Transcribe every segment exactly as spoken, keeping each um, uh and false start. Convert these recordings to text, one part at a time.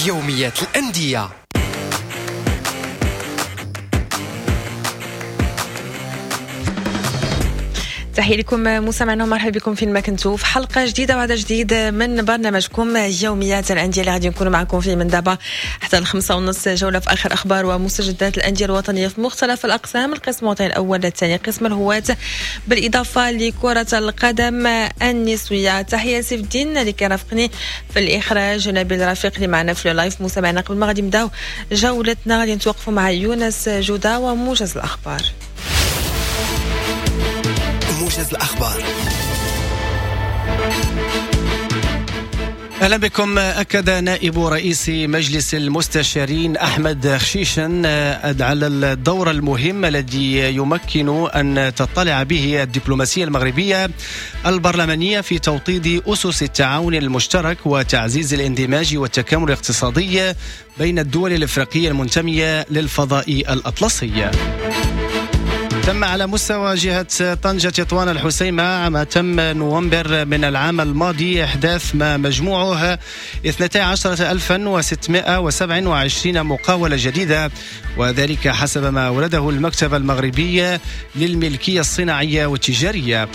يوميات الأندية. تحية لكم مستمعينا ومرحبا بكم فين ما كنتوا في حلقة جديدة وعدد جديد من برنامجكم يوميات الأندية اللي غادي نكونوا معكم فيه من دابا حتى الخمسة ونص، جولة في آخر أخبار ومستجدات الأندية الوطنية في مختلف الأقسام، القسم الوطني الأول الثاني، قسم الهواة، بالإضافة لكرة القدم النسوية. تحية سيف الدين اللي كيرافقني في الإخراج، نبيل رفيق اللي معنا في ال live. مستمعينا قبل ما غادي نبداو جولتنا غادي نتوقفوا مع يونس جودة وموجز الأخبار. موجز الأخبار. أهلا بكم. أكد نائب رئيس مجلس المستشارين أحمد خشيشن على الدور المهم الذي يمكن أن تطلع به الدبلوماسية المغربية البرلمانية في توطيد أسس التعاون المشترك وتعزيز الاندماج والتكامل الاقتصادي بين الدول الإفريقية المنتمية للفضاء الأطلسي. تم على مستوى جهة طنجة تطوان الحسيمة عام تم نوفمبر من العام الماضي إحداث ما مجموعه اثنتي عشرة ألفا وستمائة وسبعة وعشرين مقاولة جديدة، وذلك حسب ما ورده المكتب المغربي للملكية الصناعية والتجارية.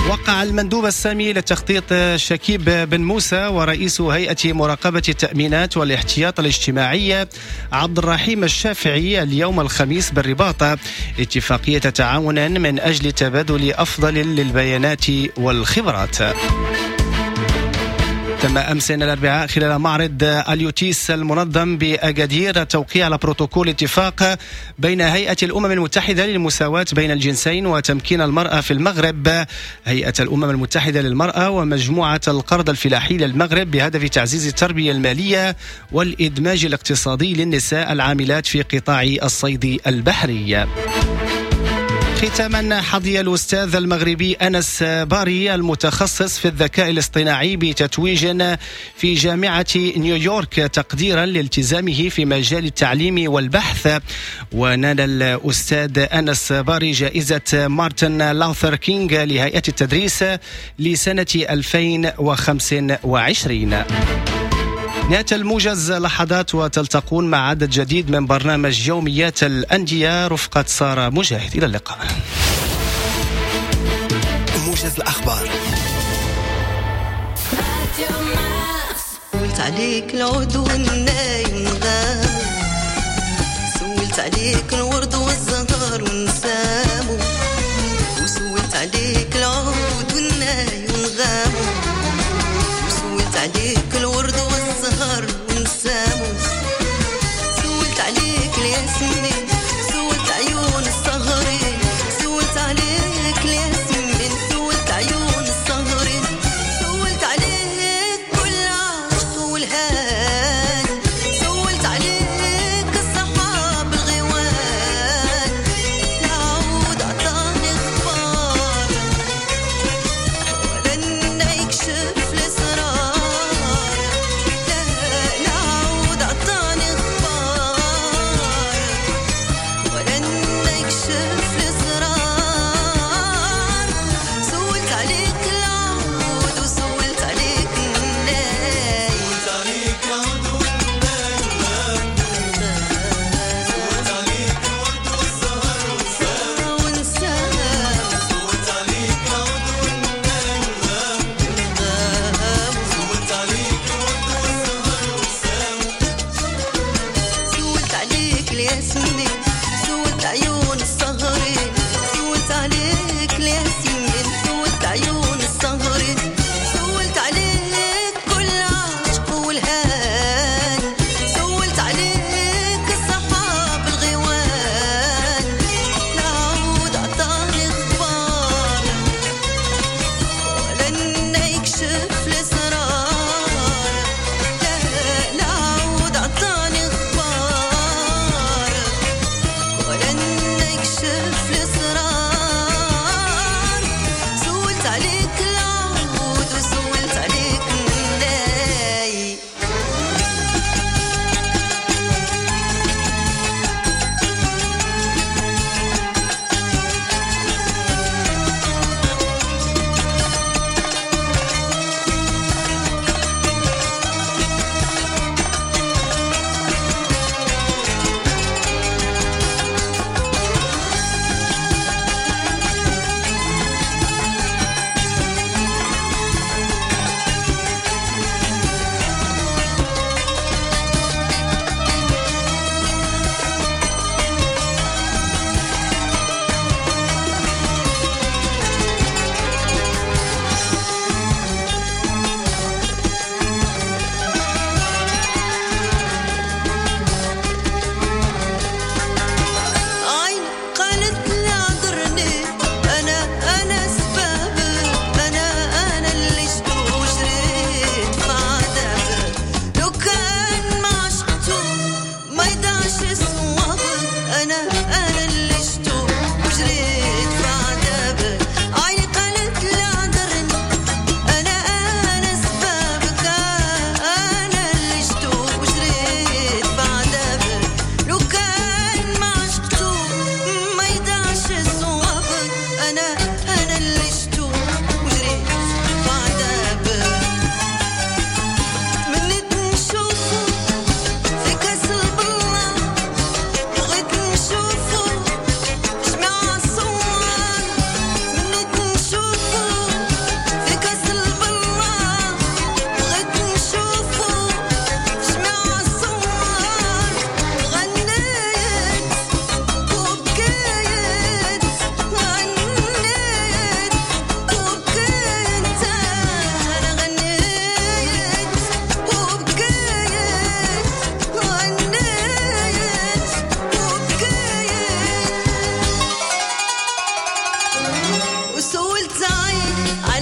وقع المندوب السامي للتخطيط شكيب بن موسى ورئيس هيئة مراقبة التأمينات والاحتياط الاجتماعي عبد الرحيم الشافعي اليوم الخميس بالرباط اتفاقية تعاون من أجل تبادل أفضل للبيانات والخبرات. تم أمس الأربعاء خلال معرض اليوتيس المنظم بأكادير التوقيع على بروتوكول اتفاق بين هيئة الأمم المتحدة للمساواة بين الجنسين وتمكين المرأة في المغرب، هيئة الأمم المتحدة للمرأة، ومجموعة القرض الفلاحي للمغرب بهدف تعزيز التربية المالية والإدماج الاقتصادي للنساء العاملات في قطاع الصيد البحري. ختاما، حظي الأستاذ المغربي أنس باري المتخصص في الذكاء الاصطناعي بتتويج في جامعة نيويورك تقديرا لالتزامه في مجال التعليم والبحث. ونال الأستاذ أنس باري جائزة مارتن لوثر كينغ لهيئة التدريس لسنة ألفين وخمسة وعشرين. نهاية الموجز لحظات وتلتقون مع عدد جديد من برنامج يوميات الأندية رفقة سارة مجاهد. إلى اللقاء. موجز الأخبار. سولت عليك العود والناي ونغامو، سولت عليك الورد والزهر ونسامو، وسولت عليك العود والناي ونغامو، وسولت عليك الورد والزهر ونسامو، سولت عليك الياسمين، سولت عيون السهرين، سولت عليك الياسمين، سولت عيون السهرين، سولت عليك كل عشق والهان، سولت عليك الصحاب الغوان، العود عطاني اخبار ولا يكشف الاسرار،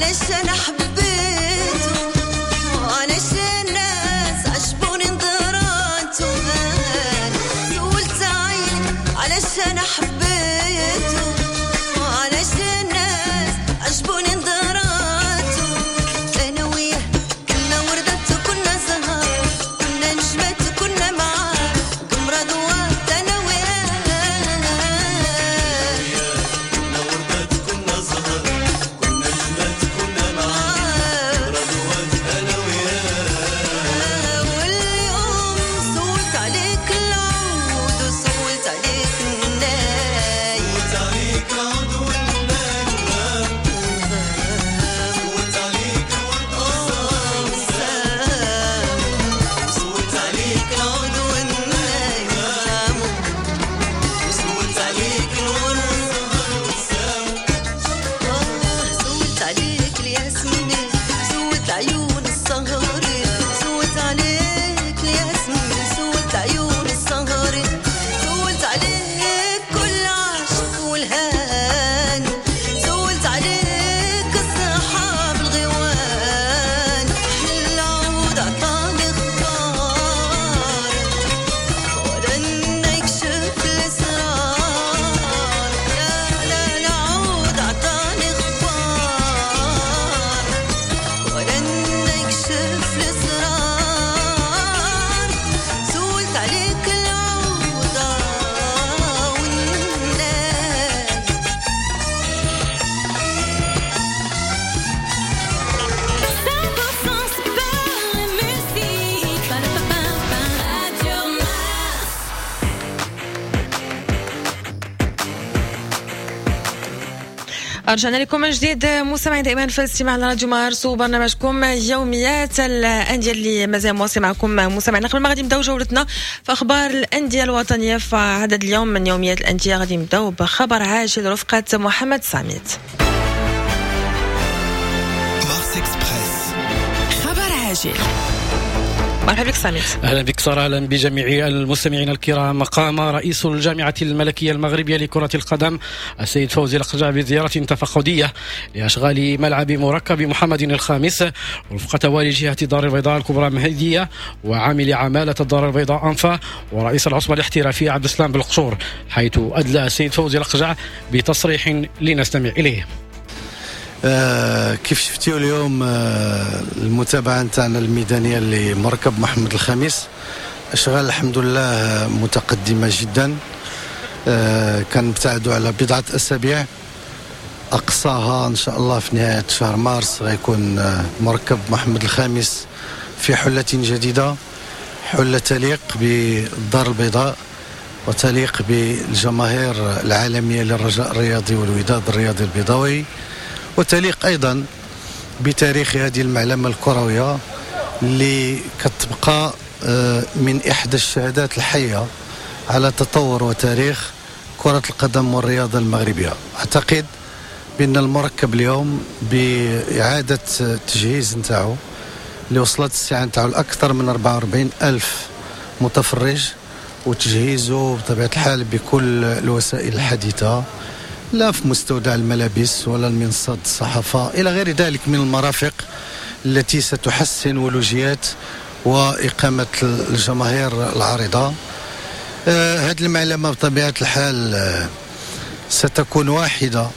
علشان حبيته وعلشان الناس عجبوني نظراته. سولت عيني علشان حبيته وعلشان الناس عجبوني نظراته. أنا وياه كنا وردات كنا زهر، كنا نجمات كنا معاه قمرة ضوات. أنا وياه كنا وردات كنا زهر، كنا نجمات كنا معاه قمرة ضوات. أنا وياه واليوم سولت عليك العود وسولت عليك الناي، سولت عليك العود والناي، سولت عليك الورد والسهر، سولت عليك العود والناي، سولت عليك الورد والسهر. سولت عليك الياسمين، سولت عيون السهر، سولت عليك الياسمين، سولت عيون السهر، سولت عليك كل عاشق والهان، سولت عليك السحاب الغيوان. العود عطاني اخبار ولن يكشف الاسرار. لا لا العود عطاني اخبار ولن يكشف الاسرار. سولت عليك العود والناي. cent pour cent sport et musique. Pa-da-pa-pa-pa. Radio Mars. رجعنا لكم من جديد مستمعين دائما في الاستماع لراديو مارس وبرنامجكم يوميات الاندية اللي مازال مواصل معكم مستمعينا. قبل ما غادي نبداو جولتنا في اخبار الاندية الوطنية في عدد اليوم من يوميات الاندية، غادي نبداو بخبر عاجل رفقه محمد ساميت. Mars Express. خبر عاجل. مرحبا بك ساميت. أهلا بك سارة، أهلا بجميع المستمعين الكرام. قام رئيس الجامعة الملكية المغربية لكرة القدم السيد فوزي لقجع بزيارة تفقدية لأشغال ملعب مركب محمد الخامس رفقة والي جهة الدار البيضاء الكبرى مهدية وعامل عمالة الدار البيضاء أنفا ورئيس العصبة الاحترافية عبد السلام بالقشور، حيث أدلى السيد فوزي لقجع بتصريح لنستمع إليه. آه كيف شفتيو اليوم آه المتابعة نتاعنا الميدانية لمركب محمد الخامس، أشغال الحمد لله متقدمة جدا. آه كنبتعدوا على بضعة أسابيع، أقصاها إن شاء الله في نهاية شهر مارس غيكون آه مركب محمد الخامس في حلة جديدة، حلة تليق بالدار البيضاء وتليق بالجماهير العالمية للرجاء الرياضي والوداد الرياضي البيضاوي، وتليق أيضا بتاريخ هذه المعلمة الكروية اللي كتبقى من إحدى الشهادات الحية على تطور وتاريخ كرة القدم والرياضة المغربية. أعتقد بأن المركب اليوم بإعادة التجهيز نتاعو اللي وصلت الساعة نتاعو لأكثر من أربعة وأربعين ألف متفرج، وتجهيزه بطبيعة الحال بكل الوسائل الحديثة، لا في مستودع الملابس ولا المنصات الصحافة إلى غير ذلك من المرافق التي ستحسن ولوجيات وإقامة الجماهير العارضة. آه هذه المعلمة بطبيعة الحال آه ستكون واحدة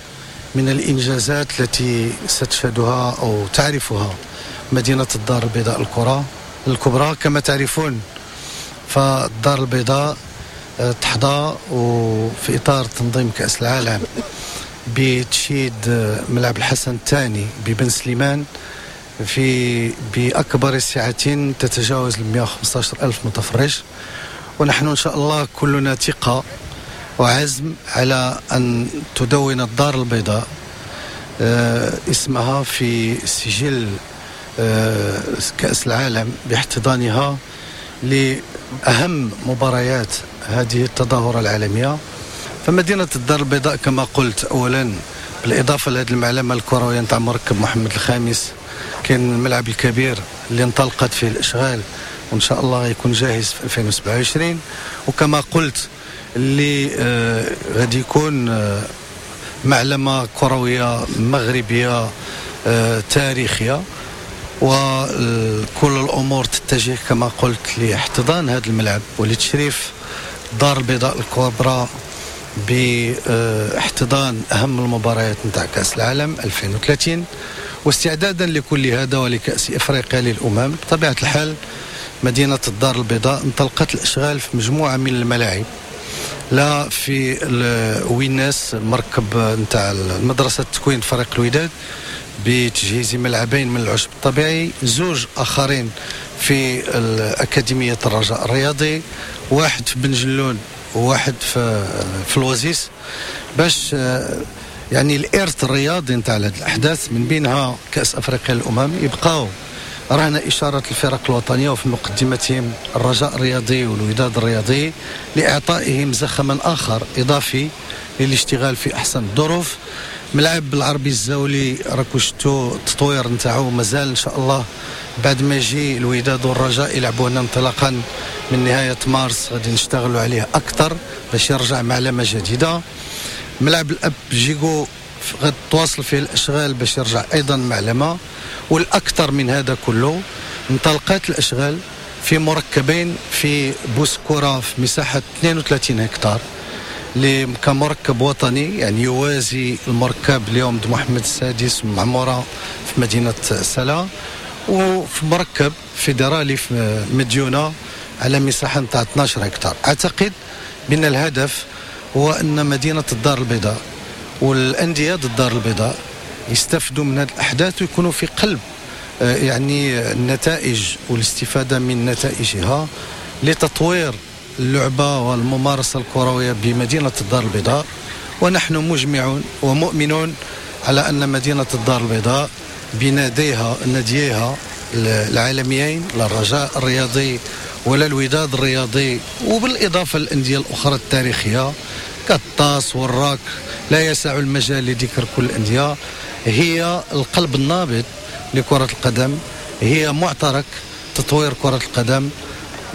من الإنجازات التي ستشهدها أو تعرفها مدينة الدار البيضاء الكرة الكبرى. كما تعرفون فالدار البيضاء تحظى وفي إطار تنظيم كأس العالم بتشييد ملعب الحسن الثاني ببن سليمان في بأكبر سعة تتجاوز مئة وخمسة عشر ألف متفرج، ونحن إن شاء الله كلنا ثقة وعزم على أن تدون الدار البيضاء اسمها في سجل كأس العالم باحتضانها لأهم مباريات هذه التظاهرة العالمية. فمدينة الدار البيضاء كما قلت أولا بالإضافة لهذه المعلمة الكروية نتاع مركب محمد الخامس، كاين الملعب الكبير اللي انطلقت فيه الإشغال وإن شاء الله يكون جاهز في ألفين وسبعة وعشرين، وكما قلت اللي آه غادي يكون آه معلمة كروية مغربية تاريخية، وكل الأمور تتجه كما قلت لاحتضان هذا الملعب ولتشريف الدار البيضاء الكبرى باحتضان أهم المباريات نتاع كأس العالم ألفين وثلاثين. واستعدادا لكل هذا ولكأس إفريقيا للأمم، بطبيعة الحال مدينة الدار البيضاء انطلقت الأشغال في مجموعة من الملاعب، لا في ويناس مركب نتاع مدرسة تكوين فريق الوداد بتجهيز ملعبين من العشب الطبيعي، زوج آخرين في أكاديمية الرجاء الرياضي، واحد في بنجلون وواحد في في الوزيس، باش يعني الإرث الرياضي نتاع هذه الأحداث من بينها كأس أفريقيا للأمم يبقاو رهن إشارة الفرق الوطنية وفي مقدمتهم الرجاء الرياضي والوداد الرياضي لإعطائهم زخما آخر إضافي للاشتغال في أحسن الظروف. ملعب العربي الزاولي راكو شفتوا التطوير نتاعو مازال إن شاء الله بعد ما يجي الوداد والرجاء يلعبوا هنا انطلاقا من نهاية مارس غادي نشتغلوا عليه أكثر باش يرجع معلمة جديدة. ملعب الأب جيغو غادي تواصل فيه الأشغال باش يرجع أيضا معلمة. والأكثر من هذا كله انطلقت الأشغال في مركبين في بوسكورة في مساحة اثنين وثلاثين هكتار كمركب وطني، يعني يوازي المركب اليوم محمد السادس معمورة في مدينة سلا، وفي مركب فيدرالي في مديونة على مساحة نتاع اثنا عشر هكتار. أعتقد بأن الهدف هو أن مدينة الدار البيضاء والأندية الدار البيضاء يستفدوا من هذه الأحداث ويكونوا في قلب يعني النتائج والاستفادة من نتائجها لتطوير اللعبة والممارسة الكروية بمدينة الدار البيضاء. ونحن مجمعون ومؤمنون على أن مدينة الدار البيضاء بناديها ناديها العالميين لا الرجاء الرياضي ولا الوداد الرياضي، وبالإضافة للأندية الأخرى التاريخية كالطاس والراك، لا يسع المجال لذكر كل الأندية، هي القلب النابض لكرة القدم، هي معترك تطوير كرة القدم.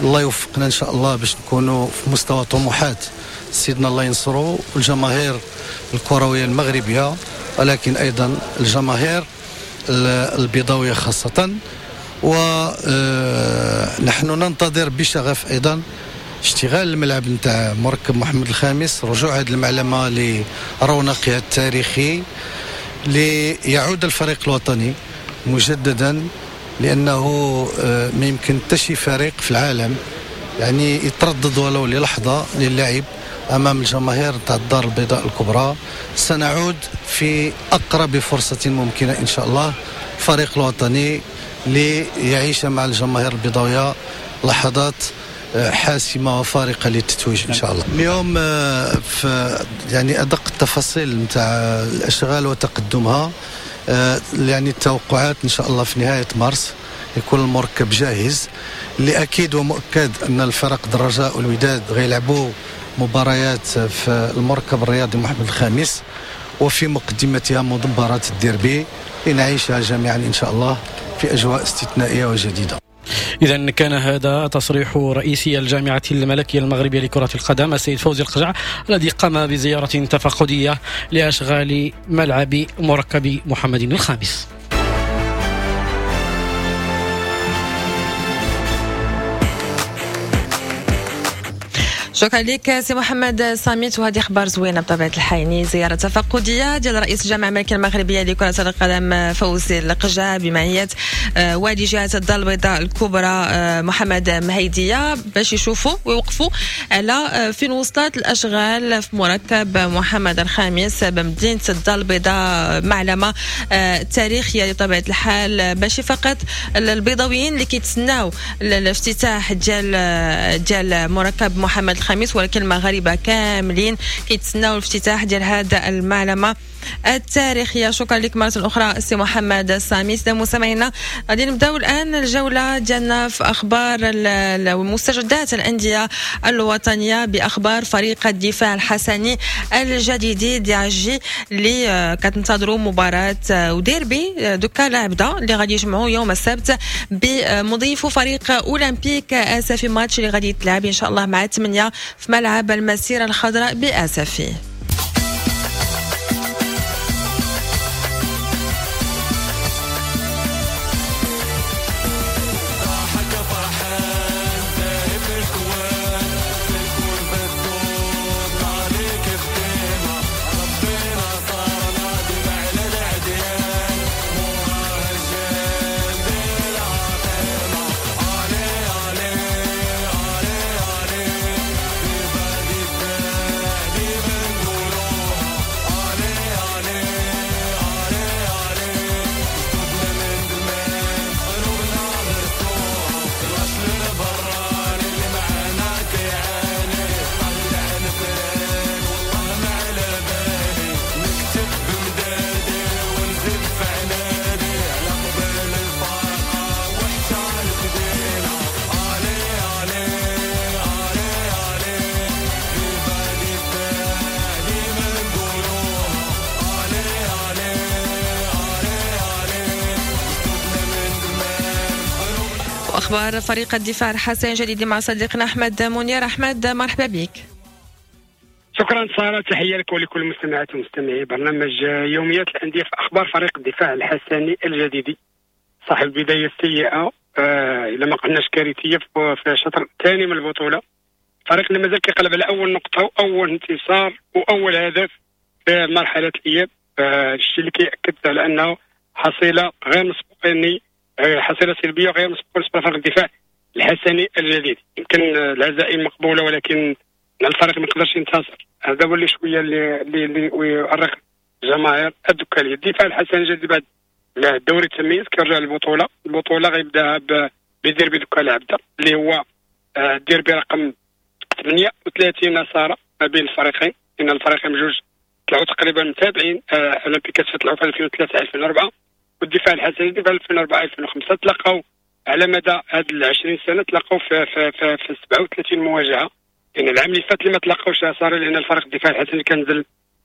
الله يوفقنا إن شاء الله باش نكونوا في مستوى طموحات سيدنا الله ينصره والجماهير الكروية المغربية، ولكن أيضا الجماهير البيضاوية خاصة. ونحن ننتظر بشغف أيضا اشتغال الملعب نتاع مركب محمد الخامس، رجوع هذه المعلمة لرونقها التاريخي ليعود الفريق الوطني مجددا، لأنه ما يمكن حتى شي فريق في العالم يعني يتردد ولو للحظة للعب أمام الجماهير تاع الدار البيضاء الكبرى. سنعود في أقرب فرصة ممكنة إن شاء الله الفريق الوطني ليعيش مع الجماهير البيضاوية لحظات حاسمة وفارقة للتتويج إن شاء الله. اليوم في يعني أدق التفاصيل نتاع الأشغال وتقدمها، يعني التوقعات إن شاء الله في نهاية مارس يكون المركب جاهز. اللي أكيد ومؤكد أن الفرق الرجاء والوداد غيلعبوا مباريات في المركب الرياضي محمد الخامس، وفي مقدمتها مباراة الديربي لنعيشها جميعا إن شاء الله في أجواء استثنائية وجديدة. إذن كان هذا تصريح رئيس الجامعة الملكية المغربية لكرة القدم السيد فوزي القجع الذي قام بزيارة تفقدية لأشغال ملعب مركب محمد الخامس. شكرا لك سي محمد صامت، وهذه اخبار زوينة بطبيعة الحال، يعني زيارة تفقديه ديال رئيس الجامعة الملكية المغربية لكرة القدم فوزي القجع بمعية والي جهة الدار البيضاء الكبرى محمد مهيديه باش يشوفوا ويوقفوا على فين وصلت الاشغال في مركب محمد الخامس بمدينة الدار البيضاء، معلمه تاريخية بطبيعة الحال، ماشي فقط البيضاويين اللي كيتسناو الافتتاح ديال ديال مركب محمد الخامس، ولكن المغاربة كاملين كيتسناو الافتتاح ديال هذا المعلمة التاريخية. شكرا لك مرة اخرى سي محمد السامي. سيدنا مستمعينا، غادي نبداو الان الجولة ديالنا في اخبار المستجدات الاندية الوطنية باخبار فريق الدفاع الحسني الجديدي دي اللي كتنتظروا مباراة وديربي دوكا لعبده اللي غادي يجمعوا يوم السبت بمضيف فريق اولمبيك اسفي، ماتش اللي غادي يتلعب ان شاء الله مع ثمانية في ملعب المسيرة الخضراء باسفي. اخبار فريق الدفاع الحسني الجديدي مع صديقنا احمد منير. احمد مرحبا بك. شكرا ساره، تحية لك ولكل المستمعات ومستمعي برنامج يوميات الاندية. في اخبار فريق الدفاع الحسني الجديدي صاحب البداية السيئة آه اذا ما قلناش كارثية في الشطر الثاني من البطولة، فريق اللي مازال كيقلب على اول نقطة واول انتصار واول هدف في مرحلة الاياب، آه الشيء اللي كيأكد على انه حصيله غير مسبوقة، يعني حصيله سلبية غير مسبوقة بالنسبة لفريق الدفاع الحسني الجديد. يمكن الهزائم مقبولة ولكن الفريق ما يقدرش ينتصر، هذا هو اللي شوية اللي اللي, اللي يؤرق الجماهير الدكاليه. الدفاع الحسني الجديد بعد الدوري التمييز كيرجع للبطولة، البطولة غيبداها بديربي دكالة عبده اللي هو الديربي رقم ثمانية وثلاثين ساره ما بين الفريقين، لان الفريقين بجوج طلعوا تقريبا متابعين. اولمبيك آسفي طلعوا في ألفين وثلاثة ألفين وأربعة والدفاع الحسني في ألفين وأربعة ألفين وخمسة، تلاقاو على مدى هاد ال عشرين سنة تلاقاو في في في, في سبعة وثلاثين مواجهة. يعني العام اللي فات اللي ما تلاقاوش صار لان الفريق الدفاع الحسني كان نزل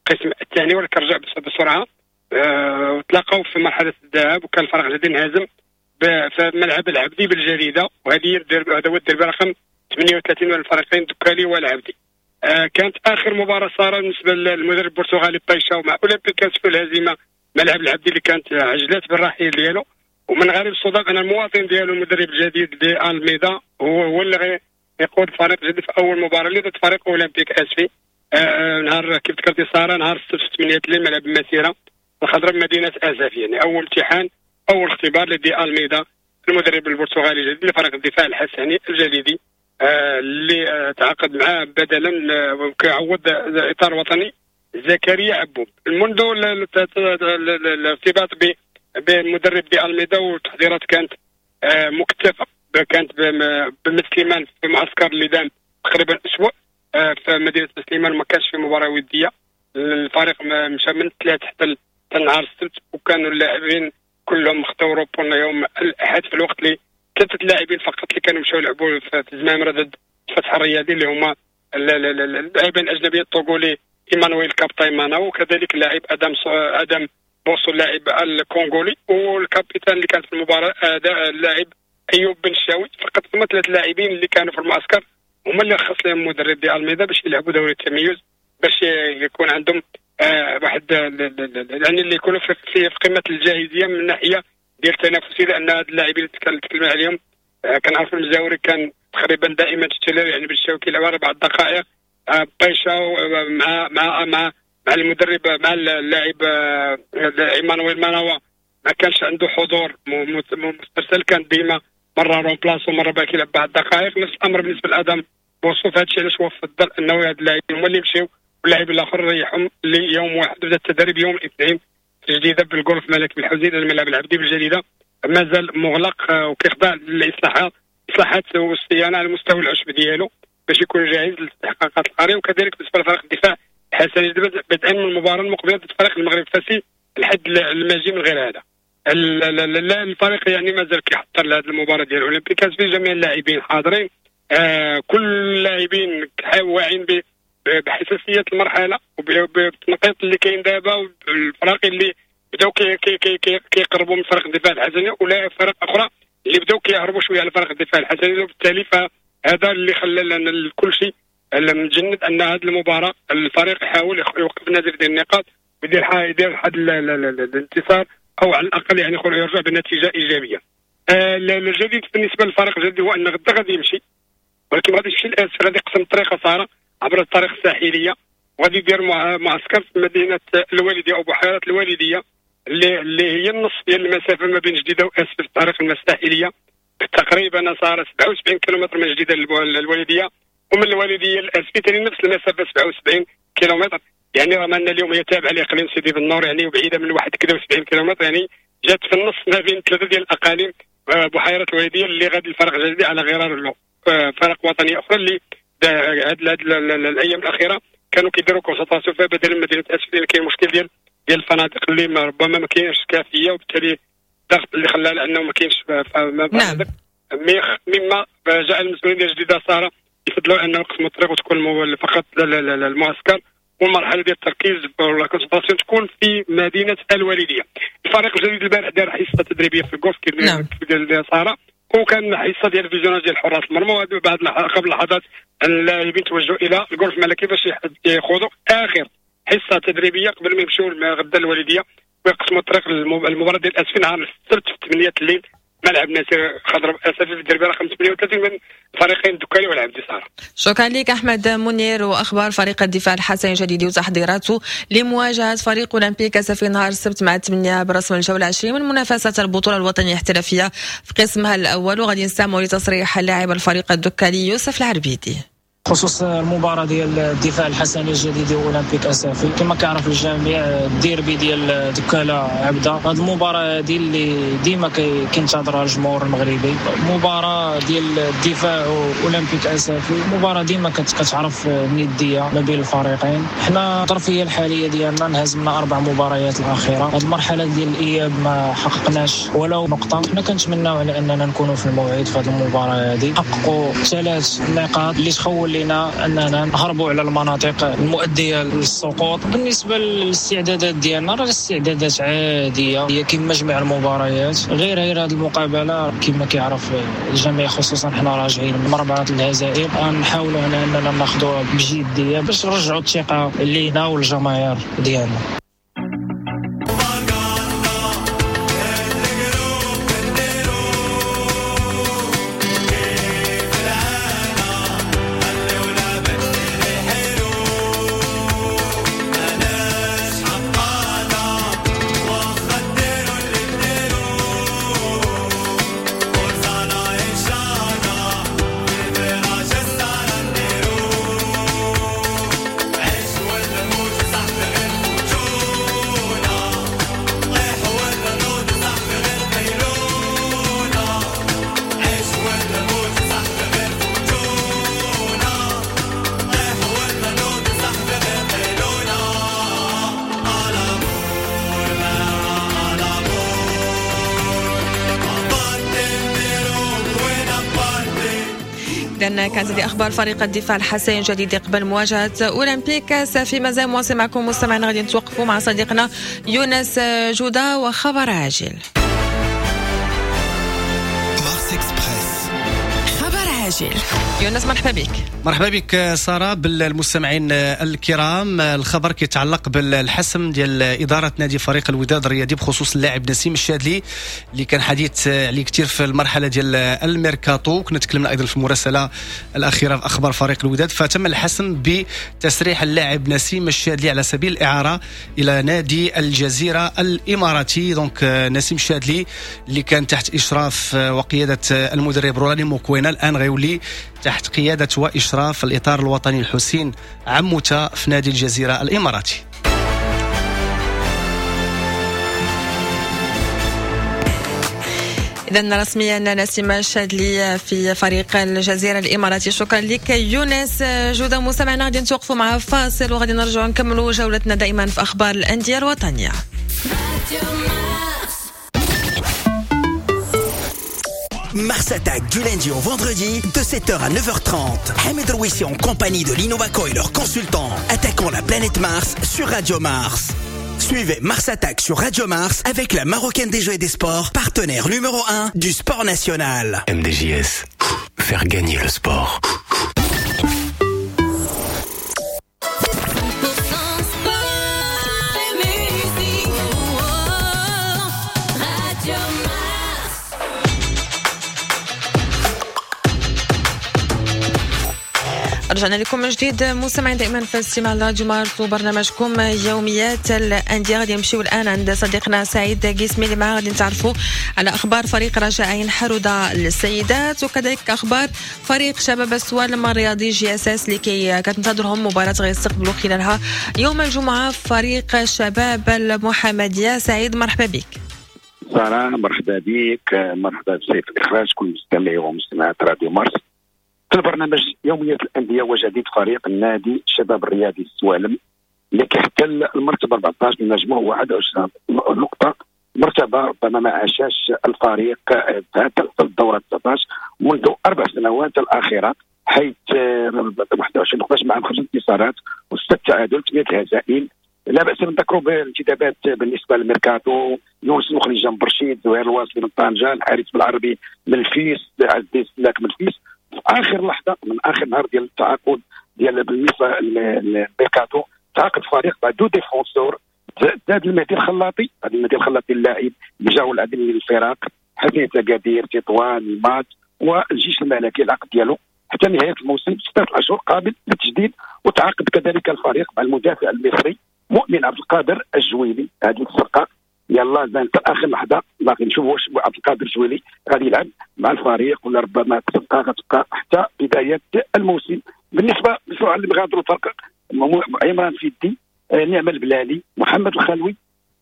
القسم الثاني ولكن رجع بسرعة، أه وتلاقاو في مرحلة الذهاب وكان الفريق الجديد انهزم في ملعب العبدي بالجريده، وهذه هذا هو الديربي رقم ثمانية وثلاثين من الفريقين دكالي والعبدي. آه كانت اخر مباراة صار بالنسبة للمدرب البرتغالي بايشاو مع اولمبيك آسفي الهزيمة ملعب العبدي اللي كانت عجلات بالرحيل ديالو، ومن غريب الصدف ان المواطن ديالو المدرب الجديد دي الميدا هو هو اللي يقود الفريق الجديد في اول مباراة اللي ضد فريق اولمبيك اسفي. آه نهار كيف ذكرتي ساره نهار السبت ثمانية الليل ملعب المسيرة الخضراء بمدينة اسفي، يعني اول امتحان اول اختبار لدي الميدا المدرب البرتغالي الجديد لفريق الدفاع الحسني الجديدي آه اللي آه تعاقد معاه بدلا آه وكيعوض الاطار الوطني زكريا عبوب. منذ الارتباط بالمدرب دي الميدا والتحضيرات كانت آه مكثفة، كانت بمسليمان في معسكر اللي دام تقريبا اسبوع آه في مدينة مسليمان، ما كانش في مباراة وديه، الفريق مشى من الثلاث حتى نهار السبت، وكانوا اللاعبين كلهم خطاو روبونا يوم الاحد في الوقت اللي ثلاثة لاعبين فقط اللي كانوا مشاو يلعبوا في زمامرة ضد الفتح الرياضي اللي هما اللاعبين الاجنبيين الطوغولي ايمانويل كابتايمانا وكذلك اللاعب ادم ادم بوصو اللاعب الكونغولي، وال capitaine اللي كان في المباراة اللاعب ايوب بن الشاوي. فقط هما ثلاث لاعبين اللي كانوا في المعسكر هما اللي رخص لهم المدرب دي الميدا باش يلعبوا دوري التميز، باش يكون عندهم آه واحد يعني اللي يكونوا في, في قمة الجاهزيه من الناحية ديال التنافسية، لان هاد اللاعبين اللي تكلمنا عليهم آه كنعرفوا المزاوري كان تقريبا دائما titulaire، يعني بالشاوي كيلعب اربع دقائق، آه بايشاو مع مع مع مع المدرب مع اللاعب آه ايمانويل ماناوا ما كانش عنده حضور مسترسل، كان ديما مرة remplaçant ومرة باقي يلعب بعض الدقائق. نفس الامر بالنسبة لادم بوصوف، هادشي علاش هو فضل انه هاد اللاعبين هما اللي يمشيو واللاعبين الاخر ريحهم ليوم واحد. بدا التدريب يوم الاثنين الجديدة بالجولف ملك بالحوزين الملعب العبدي بالجديده مازال مغلق وكيخضع للاصلاحات اصلاحات والصيانه على مستوى العشب ديالو باش يكون جاهز للاستحقاقات القارية. وكذلك بالنسبة لفريق الدفاع الحسني بدءا من المباراة المقبلة ضد فريق المغرب الفاسي الحد الماجي من غير هذا. الفريق يعني مازال كيحضر لهذه المباراة ديال اولمبيك آسفي، جميع اللاعبين حاضرين، آه كل اللاعبين واعيين بحساسيه المرحلة وبالتنقيط اللي كاين دابا والفرق اللي بداو كيقربوا من فريق الدفاع الحسني ولا فرق اخرى اللي بداو كيهربوا شوية على فريق الدفاع الحسني، وبالتالي فهذا اللي خلى لنا كل شيء متجند ان هذه المباراة الفريق يحاول يوقف النزيف ديال النقاط ويدير يدير واحد الانتصار او على الاقل يعني يرجع بنتيجة ايجابية. آه الجديد بالنسبة للفريق الجديد هو ان غدا غادي يمشي، ولكن غادي يمشي لاسفي، غادي يقسم الطريق ساره عبر الطريق الساحلية وغادي يدير معسكر في مدينة الوالدية او بحيرة الوالدية اللي, اللي هي النص ديال المسافة ما بين جديدة واسفي في الطريق الساحلية، تقريبا صار سبعة وسبعين كيلومتر من جديدة للوالديه، ومن الوالدية لاسفي ثاني نفس المسافة سبعة وسبعين كيلومتر. يعني رغم ان اليوم هي تابعه لاقليم سيدي بنور يعني وبعيدة من واحد كذا وسبعين كيلومتر، يعني جات في النص ما بين ثلاثة ديال الاقاليم بحيرة الوالدية اللي غادي الفرق الجديد على غرار له فرق وطنية اخرى اللي هاد الايام الاخيرة كانوا كيديروا concentration فيها بدل من مدينة اسفي، لان كاين مشكل ديال ديال الفنادق اللي ربما ما كاينش كافيه، وبالتالي الضغط اللي خلى لانه ما كاينش. نعم. مما جعل المسؤولين ديال جديدة ساره يفضلوا انه يقسموا الطريق وتكون فقط المعسكر والمرحلة ديال التركيز ولا concentration تكون في مدينة الوالدية. الفريق الجديد البارح دار حصة تدريبية في الجولف كيف ديال ساره، وكان حصة ديال ال visionnage ديال حراس المرمى. وبعد قبل لحظات اللاعبين توجهوا الى الجولف الملكي باش يخوضوا اخر حصة تدريبية قبل ما يمشيو غدا الوالدية ويقسموا الطريق المباراة ديال اسفي نهار السبت في ثمانية الليل ملعب ناصر خضر اسفي في الدربي رقم ثمانية وثلاثين من فريقين الدكالي والعبدي ساره. شكرا لك احمد منير. واخبار فريق الدفاع الحسني الجديد وتحضيراته لمواجهة فريق اولمبيك اسفي نهار السبت مع ثمانية برسم الجولة عشرين من منافسه البطولة الوطنية الاحترافية في قسمها الاول، وغادي نستمعوا لتصريح اللاعب الفريق الدكالي يوسف العربيدي. خصوص المباراة ديال الدفاع الحسني الجديد واولمبيك اسافي، كما كيعرف الجميع الديربي ديال دكاله عبده، هذه المباراة هذه اللي ديما كينتظرها الجمهور المغربي، مباراة ديال الدفاع واولمبيك اسافي، مباراة ديما كتعرف الندية ما بين الفريقين. حنا الظرفية الحالية ديالنا انهزمنا اربع مباريات الاخيرة، هذه المرحلة ديال الاياب ما حققناش ولو نقطة. حنا كنتمناو على اننا نكونوا في الموعد في هذه المباراة هذه، نحققوا ثلاث نقاط اللي تخول لنا اننا نهربوا على المناطق المؤدية للسقوط. بالنسبة للاستعدادات ديالنا راه الاستعدادات عادية، هي كما جميع المباريات، غير غير هذه المقابلة كما كيعرف الجميع، خصوصا حنا راجعين من اربعة الهزائم، غنحاولوا على اننا ناخذوها بجدية باش نرجعوا الثقة لينا والجماهير ديالنا. إذن كانت هذه أخبار فريق الدفاع الحسني الجديد قبل مواجهة أولمبيك سافي. مازال مواصل معكم مستمعين، غادي نتوقفوا مع صديقنا يونس جودة وخبر عاجل. مارس إكسبريس، خبر عاجل. يونس مرحبا بك. مرحبا بك سارة، بالمستمعين الكرام. الخبر كيتعلق بالحسم ديال إدارة نادي فريق الوداد الرياضي بخصوص اللاعب نسيم الشادلي اللي كان حديث عليه كثير في المرحلة ديال الميركاتو، كنا تكلمنا أيضا في المراسلة الأخيرة في أخبار فريق الوداد. فتم الحسم بتسريح اللاعب نسيم الشادلي على سبيل الإعارة إلى نادي الجزيرة الإماراتي. donc نسيم الشادلي اللي كان تحت إشراف وقيادة المدرب رولاني موكوينا، الآن غيولي تحت قيادة وإشراف الإطار الوطني الحسين عموتة في نادي الجزيرة الإماراتي. إذن رسميا نسيم الشادلي في فريق الجزيرة الإماراتي. شكرا لك يونس جودة. مستمعنا غادي نتوقفوا مع فاصل وغادي نرجعوا نكملوا جولتنا دائما في أخبار الأندية الوطنية. Mars Attack du lundi au vendredi de sept heures à neuf heures trente. Hamid Rouissi en compagnie de l'Innovaco et leurs consultants attaquant la planète Mars sur Radio Mars. Suivez Mars Attack sur Radio Mars avec la Marocaine des Jeux et des Sports, partenaire numéro un du sport national. M D J S, faire gagner le sport. رجعنا لكم من جديد مستمعين دائما في استماع راديو مارس وبرنامجكم يوميات الاندية. غادي نمشيو الان عند صديقنا سعيد قسمي اللي معاه غادي نتعرفوا على اخبار فريق رجاء عين حروده للسيدات، وكذلك اخبار فريق شباب السوالم الرياضي JSS اللي كي كتنتظرهم مباراة غيستقبلوا خلالها يوم الجمعة فريق شباب المحمدية. سعيد مرحبا بك. سارة مرحبا بك، مرحبا بسيف الاخراج كل مستمعي ومستمعات راديو مارس في البرنامج يوميات الأندية وجديد فريق النادي الشباب الرياضي السوالم اللي كيحتل المرتبة أربعة عشر من مجموع واحد وعشرين نقطة، مرتبة ربما ما عاشاش الفريق في الدورة تسعة عشر منذ أربع سنوات الأخيرة، حيث واحد وعشرين نقطة مع خمس انتصارات وست تعادل ثمانية هزائم. لا باس نذكروا بالانتدابات بالنسبة للميركاتو، يونس مخرج من برشيد، زهير الواصلي من طنجه، الحارث بالعربي من الفيس، عز الدين سلاك من الفيس. في اخر لحظة من اخر نهار ديال التعاقد ديال بالنسبة للميركاتو تعاقد فريق مع deux défenseurs، زاد المهدي الخلاطي، هذا المهدي الخلاطي اللاعب اللي جاو العديد من الفرق، حسنية اكادير، تطوان، المات والجيش الملكي، العقد ديالو حتى نهاية الموسم ستة اشهر قابل للتجديد. وتعاقد كذلك الفريق مع المدافع المصري مؤمن عبد القادر الجويلي، هذه الصفقة يلا زين حتى اخر لحظة باقي نشوفوا واش عبد القادر الجويلي غادي يلعب مع الفريق ولا ربما الصفقة غتبقى حتى بداية الموسم. بالنسبة للسرعه اللي غادروا الفرق، عمران فيدي، نعمه البلالي، محمد الخلوي،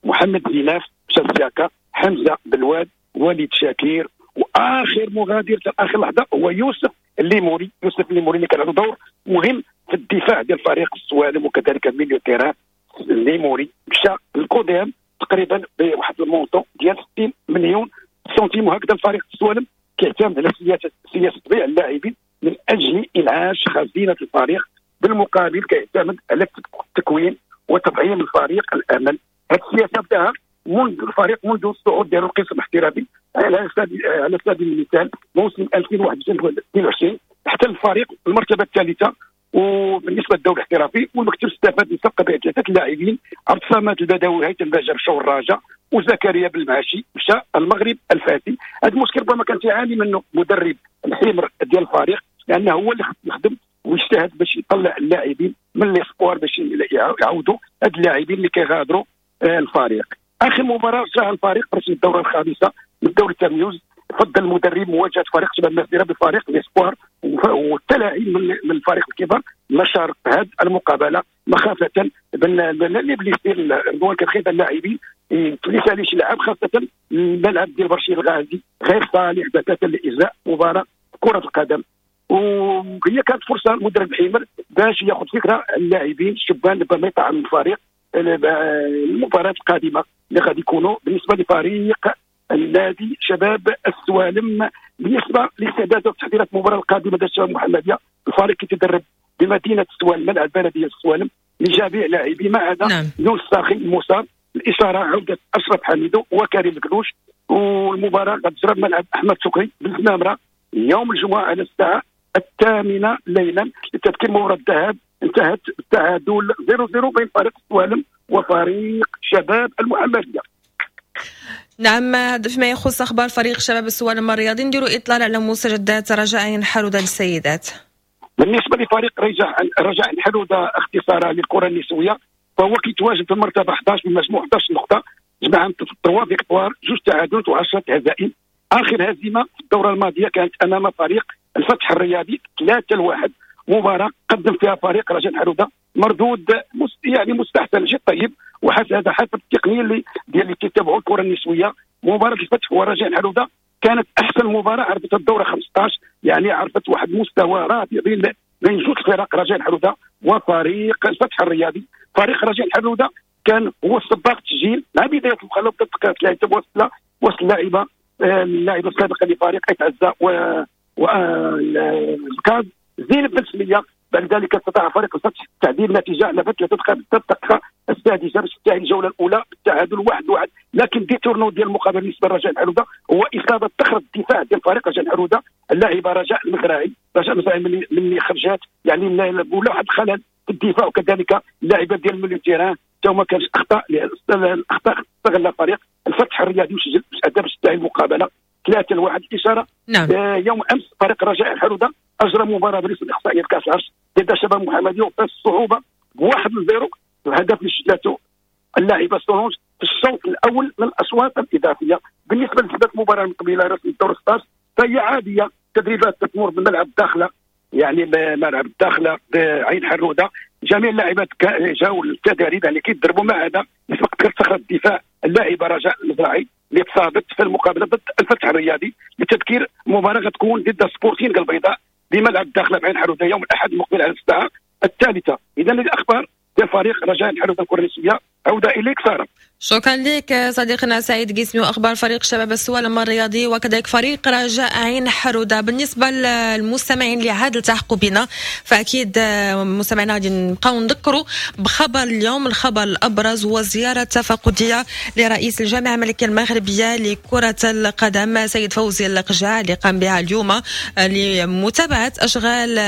محمد زيناف مشى السياكا، حمزة بالواد، وليد شاكير، واخر مغادر حتى اخر لحظة هو يوسف الليموري. يوسف الليموري اللي كان عنده دور مهم في الدفاع ديال فريق السوالم وكذلك milieu terrain. الليموري مشى للكوديم تقريبا بواحد ال montant ديال ستين مليون سنتيم. وهكذا الفريق السوالم كيعتمد على سياسة سياسة بيع اللاعبين من اجل انعاش خزينة الفريق، بالمقابل كيعتمد على التكوين وتطعيم الفريق الامل. هذه السياسة بداها منذ الفريق منذ الصعود ديالو القسم الاحترافي. على سبيل على سبيل المثال موسم ألفين وواحد وعشرين اثنين وعشرين احتل الفريق المرتبة الثالثة وبالنسبة للدوري الاحترافي، والمكتب استفاد من صفقة بيع ثلاثة اللاعبين، عبد الصمد البدوي، هيثم باجر مشاو الرجاء، وزكريا بالمعاشي مشى المغرب الفاسي. هذا المشكل ربما كان تيعاني منه مدرب الحمر ديال الفريق، لانه هو اللي يخدم ويجتهد باش يطلع اللاعبين من les espoirs باش يعاودوا هاد اللاعبين اللي كيغادروا الفريق. اخر مباراة جاها الفريق رسم الدورة الخامسة من الدوري التمييز، فضل المدرب مواجهة فريق شباب المسيرة بفريق les espoirs والتلاعب من الفريق الكبار نشر هذه المقابلة مخافة من les blessures. رضوان كان خايف اللاعبين تليس عليه شي لاعب، خاصة الملعب ديال برشيد الغازي غير صالح بتاتا لاجراء مباراة كره القدم. وهي كانت فرصة المدرب حيمر باش ياخذ فكرة اللاعبين الشبان ربما يطعم الفريق المباراة القادمة اللي غادي يكونوا بالنسبة لفريق النادي شباب السوالم. بالنسبة لاستعدادات وتحضيرات المباراة القادمة ديال الشباب المحمدية، الفريق كيتدرب بمدينة السوالم، ملعب بلديه السوالم، لجميع لاعبي ما عدا نعم. يونس ساخي المصاب، الاشارة عوده اشرف حميدو وكريم الكلوش. والمباراة غتجرى بملعب احمد شكري بالزمامره يوم الجمعة على الساعة الثامنة ليلا. للتذكير مباراة الذهاب انتهت بالتعادل صفر صفر بين فريق السوالم وفريق شباب المحمدية. نعم، هذا فيما يخص اخبار فريق شباب السوالم الرياضي. نديروا اطلال على مستجدات رجاء حرودة للسيدات. بالنسبة لفريق رجاء رجاء حرودة اختصارا للكرة النسوية، فهو كيتواجد في المرتبة أحد عشر بمجموع أحد عشر نقطة، جمع ثلاثة victoires، جوج تعادلات وعشرة هزائم. اخر هزيمة في الدورة الماضية كانت امام فريق الفتح الرياضي ثلاثة لواحد، مباراة قدم فيها فريق رجاء حرودة مردود يعني مستحسن جد طيب، وحسب هذا حسب التقنية اللي ديال اللي كيتابعوا الكره النسوية. مباراة الفتح ورجاء حرودة كانت احسن مباراة عرفتها الدورة خمسطاش، يعني عرفت واحد المستوى رائع بين بين جوج فرق، رجاء حرودة وفريق الفتح الرياضي. فريق رجاء حرودة كان هو السباق التسجيل مع بداية المخلوق ثلاثة وصل وصل اللاعبه اللاعبه السابقة لفريق اتعزى و والكاز زينب بن سميه. بعد ذلك استطاع فريق الفتح تعديل النتيجة على ثلاثة الدقيقة السادسة باش تنتهي الجولة الاولى بالتعادل واحد واحد. لكن détournant ديال المقابلة بالنسبة لرجاء الحرودة هو اصابه تخرج الدفاع ديال فريق رجاء الحرودة اللاعبه رجاء المزراعي. رجاء المزراعي من خرجات يعني ولا واحد الخلل في الدفاع، وكذلك اللاعبه ديال milieu terrain حتى هما كانش اخطاء، الاخطاء استغل فريق الفتح الرياضي وسجل ادى باش تنتهي المقابلة ثلاثة لواحد. الاشارة نعم. آه يوم امس فريق رجاء الحرودة اجرى مباراة بالنسبة لاقصائيه كاس العرش ضد شباب المحمدية وفاز الصعوبة بواحد لزيرو، الهدف اللي سجلته اللاعبه سولونج في الشوط الاول من الاشواط الاضافية. بالنسبة لثبات المباراة المقبلة رسم الدور ستة عشر فهي عادية، تدريبات تتمر بملعب الداخلة، يعني ملعب الداخلة بعين حروده، جميع اللاعبات جاوا للتدريب يعني كيضربوا ما عدا نسبه صخرة الدفاع اللاعبه رجاء المزراعي اللي تصابت في المقابلة ضد الفتح الرياضي. للتذكير المباراة غتكون ضد سبورتينغ البيضاء بملعب الداخلة بعين حروده يوم الاحد المقبل على الساعة الثالثة. اذا الاخبار ديال فريق رجاء الحروده الكره النسوية عوده اليك ساره. شكرا لك صديقنا سعيد قسمي واخبار فريق شباب السوالم الرياضي وكذلك فريق رجاء عين حروده. بالنسبة للمستمعين اللي عاد التحقوا بنا، فاكيد مستمعينا غادي نبقاو نذكروا بخبر اليوم. الخبر الابرز هو زيارة تفقديه لرئيس الجامعة الملكية المغربية لكرة القدم سيد فوزي لقجع اللي قام بها اليوم لمتابعة اشغال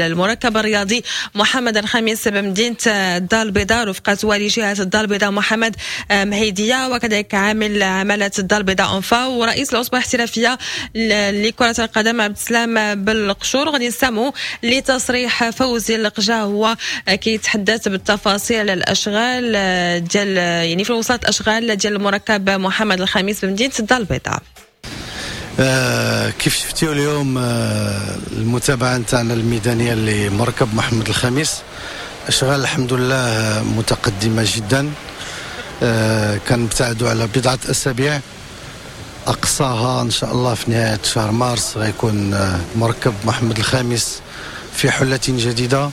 المركب الرياضي محمد الخامس بمدينة الدار البيضاء رفقه والي جهة الدار البيضاء محمد مهيدية وكذلك عامل عمالة الدار البيضاء أنفا ورئيس العصبة الاحترافية لكرة القدم عبد السلام بالقشور. غادي نستمعوا لتصريح فوزي لقجع، هو كيتحدث بالتفاصيل على الأشغال ديال يعني في وسط الأشغال ديال المركب محمد الخامس بمدينة الدار البيضاء. آه كيف شفتيو اليوم آه المتابعة نتاعنا الميدانية لمركب محمد الخامس، أشغال الحمد لله متقدمة جدا. آه كنبتعدوا على بضعة أسابيع، أقصاها إن شاء الله في نهاية شهر مارس غيكون آه مركب محمد الخامس في حلة جديدة،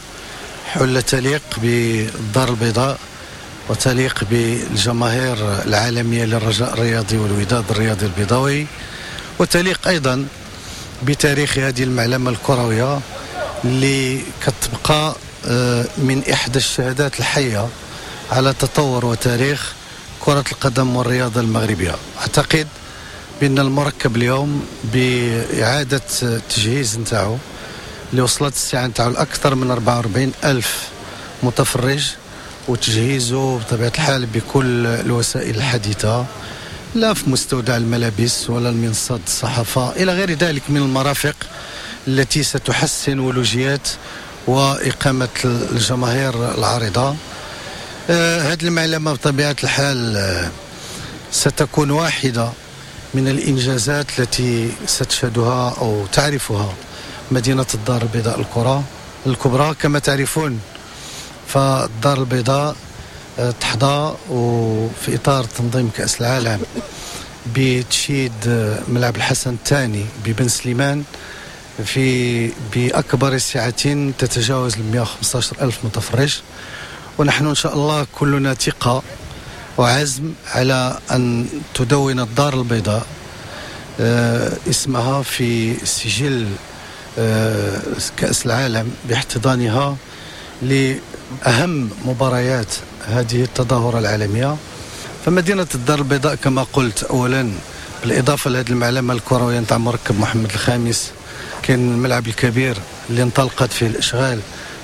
حلة تليق بالدار البيضاء وتليق بالجماهير العالمية للرجاء الرياضي والوداد الرياضي البيضاوي، وتليق أيضا بتاريخ هذه المعلمة الكروية اللي كتبقى آه من إحدى الشهادات الحية على تطور وتاريخ كرة القدم والرياضة المغربية. أعتقد بأن المركب اليوم بإعادة التجهيز نتاعو اللي وصلت الساعة نتاعو لأكثر من أربعة وأربعين ألف متفرج، وتجهيزه بطبيعة الحال بكل الوسائل الحديثة، لا في مستودع الملابس ولا المنصات الصحافة إلى غير ذلك من المرافق التي ستحسن ولوجيات وإقامة الجماهير العارضة. آه هذه المعلمة بطبيعة الحال آه ستكون واحدة من الإنجازات التي ستشهدها أو تعرفها مدينة الدار البيضاء الكرة الكبرى. كما تعرفون فالدار البيضاء آه تحظى وفي إطار تنظيم كأس العالم بتشييد آه ملعب الحسن الثاني ببن سليمان في بأكبر سعة تتجاوز مئة وخمسة عشر ألف متفرج، ونحن إن شاء الله كلنا ثقة وعزم على أن تدون الدار البيضاء اسمها في سجل كأس العالم باحتضانها لأهم مباريات هذه التظاهرة العالمية. فمدينة الدار البيضاء كما قلت أولا بالإضافة لهذه المعلمة الكروية نتاع مركب محمد الخامس، كاين الملعب الكبير اللي انطلقت فيه الإشغال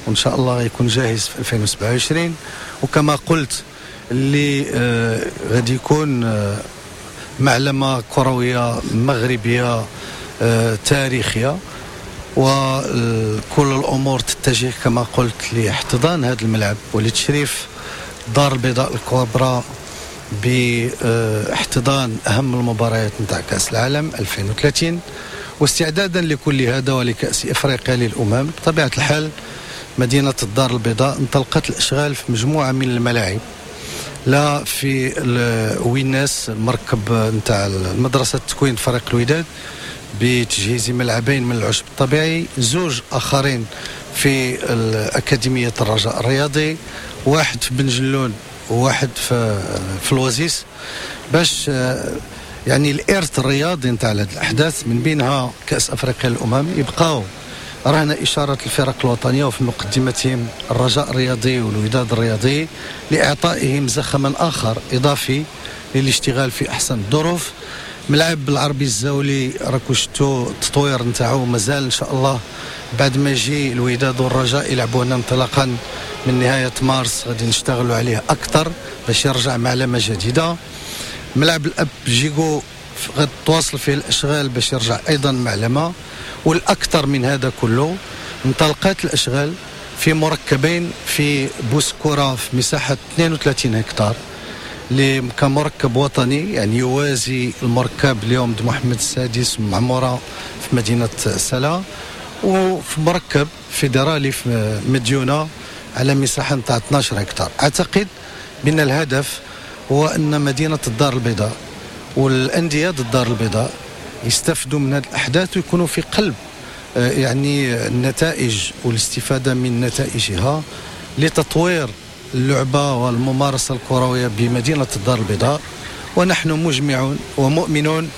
وإن شاء الله يكون جاهز في ألفين وسبعة وعشرين، وكما قلت اللي آه غادي يكون آه معلمة كروية مغربية آه تاريخية، وكل الأمور تتجه كما قلت لاحتضان هذا الملعب ولتشريف الدار البيضاء الكبرى باحتضان أهم المباريات نتاع كأس العالم ألفين وثلاثين. واستعدادا لكل هذا ولكأس إفريقيا للأمم بطبيعة الحال مدينة الدار البيضاء انطلقت الأشغال في مجموعة من الملاعب، لا في ويناس المركب نتاع المدرسة التكوين فريق الوداد بتجهيز ملعبين من العشب الطبيعي، زوج آخرين في أكاديمية الرجاء الرياضي، واحد في بنجلون وواحد في في الوزيس، باش يعني الإرث الرياضي نتاع هذه الأحداث من بينها كأس أفريقيا للأمم يبقاو رهن إشارة الفرق الوطنية وفي مقدمتهم الرجاء الرياضي والوداد الرياضي لإعطائهم زخما آخر إضافي للاشتغال في أحسن الظروف. ملعب العربي الزاولي راكو شفتوا التطوير نتاعو مازال إن شاء الله بعد ما يجي الوداد والرجاء يلعبوا هنا انطلاقا من نهاية مارس غادي نشتغلوا عليه أكثر باش يرجع معلمة جديدة. ملعب الأب جيغو غادي تواصل فيه الأشغال باش يرجع أيضا معلمة. والأكثر من هذا كله انطلقت الأشغال في مركبين في بوسكورة في مساحة اثنين وثلاثين هكتار كمركب وطني، يعني يوازي المركب اليوم د محمد السادس معمورة في مدينة سلا، وفي مركب فيدرالي في مديونة على مساحة نتاع اثنا عشر هكتار. أعتقد بأن الهدف هو أن مدينة الدار البيضاء والأندية الدار البيضاء يستفدوا من هذه الأحداث ويكونوا في قلب يعني النتائج والاستفادة من نتائجها لتطوير اللعبة والممارسة الكروية بمدينة الدار البيضاء، ونحن مجمعون ومؤمنون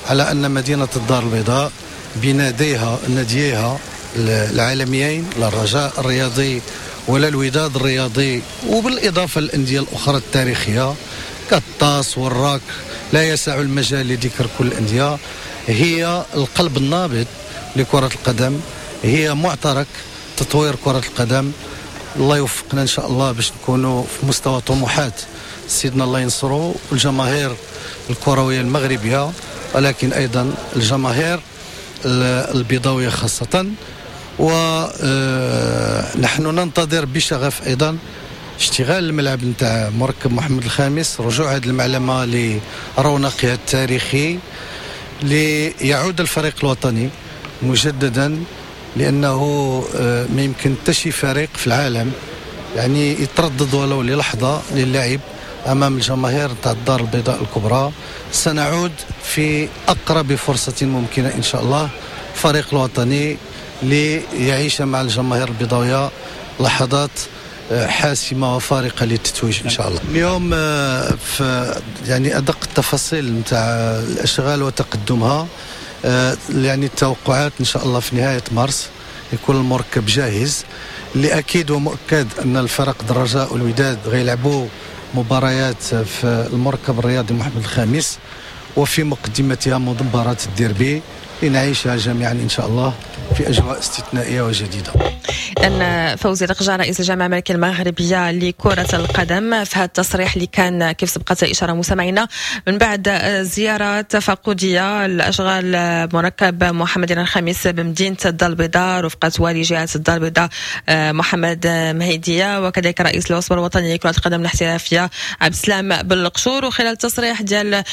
على أن مدينة الدار البيضاء بناديها ناديها العالميين، لا الرجاء الرياضي ولا الوداد الرياضي، وبالإضافة للأندية الأخرى التاريخية كالطاس والراك، لا يسع المجال لذكر كل الأندية، هي القلب النابض لكرة القدم، هي معترك تطوير كرة القدم. الله يوفقنا إن شاء الله باش نكونوا في مستوى طموحات سيدنا الله ينصرو والجماهير الكروية المغربية، ولكن أيضا الجماهير البيضاوية خاصة. ونحن ننتظر بشغف أيضا اشتغال الملعب نتاع مركب محمد الخامس، رجوع هذه المعلمة لرونقها التاريخي، ليعود الفريق الوطني مجددا، لأنه ما يمكن حتى شي فريق في العالم يعني يتردد ولو للحظة للعب أمام الجماهير تاع الدار البيضاء الكبرى. سنعود في أقرب فرصة ممكنة إن شاء الله فريق الوطني ليعيش مع الجماهير البيضاوية لحظات حاسمة وفارقة للتتويج إن شاء الله. اليوم في يعني أدق التفاصيل نتاع الأشغال وتقدمها، يعني التوقعات إن شاء الله في نهاية مارس يكون المركب جاهز. اللي أكيد ومؤكد أن الفرق الرجاء والوداد غيلعبوا مباريات في المركب الرياضي محمد الخامس، وفي مقدمتها مباراة الديربي لنعيشها جميعا إن شاء الله في أجواء استثنائية وجديدة. أن فوزي لقجع رئيس الجامعة الملكية المغربية لكرة القدم في هذا التصريح اللي كان كيف سبقت الإشارة مستمعينا من بعد زيارة تفقدية لأشغال مركب محمد الخامس بمدينة الدار البيضاء رفقة والي جهة الدار البيضاء محمد مهيدية وكذلك رئيس العصبة الوطنية لكرة القدم الاحترافية عبد السلام بالقشور. وخلال التصريح ديال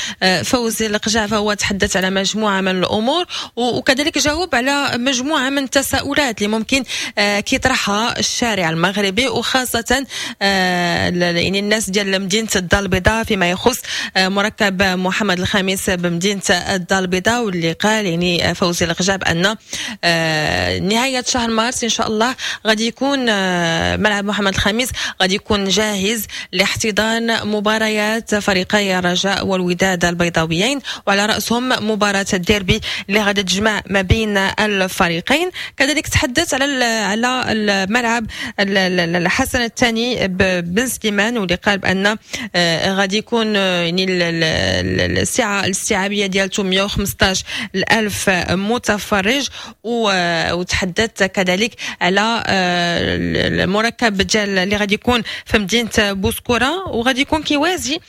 فوزي لقجع فهو تحدث على مجموعة من الأمور وكذلك جاوب على مجموعة من التساؤلات اللي ممكن كيطرحها الشارع المغربي وخاصة يعني الناس ديال مدينة الدار البيضاء فيما يخص مركب محمد الخامس بمدينة الدار البيضاء، واللي قال يعني فوزي لقجع بأن نهاية شهر مارس إن شاء الله غادي يكون ملعب محمد الخامس غادي يكون جاهز لاحتضان مباريات فريقي الرجاء والوداد البيضاويين وعلى رأسهم مباراة الديربي اللي غادي تجمع ما بين الفريقين. كذلك تحدث على على الملعب الحسن الثاني بن سليمان واللي قال بان غادي يكون يعني السعة الاستيعابيه ديالته مئة وخمسة عشر ألف متفرج. وتحدث كذلك على المركب ديال اللي غادي يكون في مدينة بوسكوره وغادي يكون كيوازي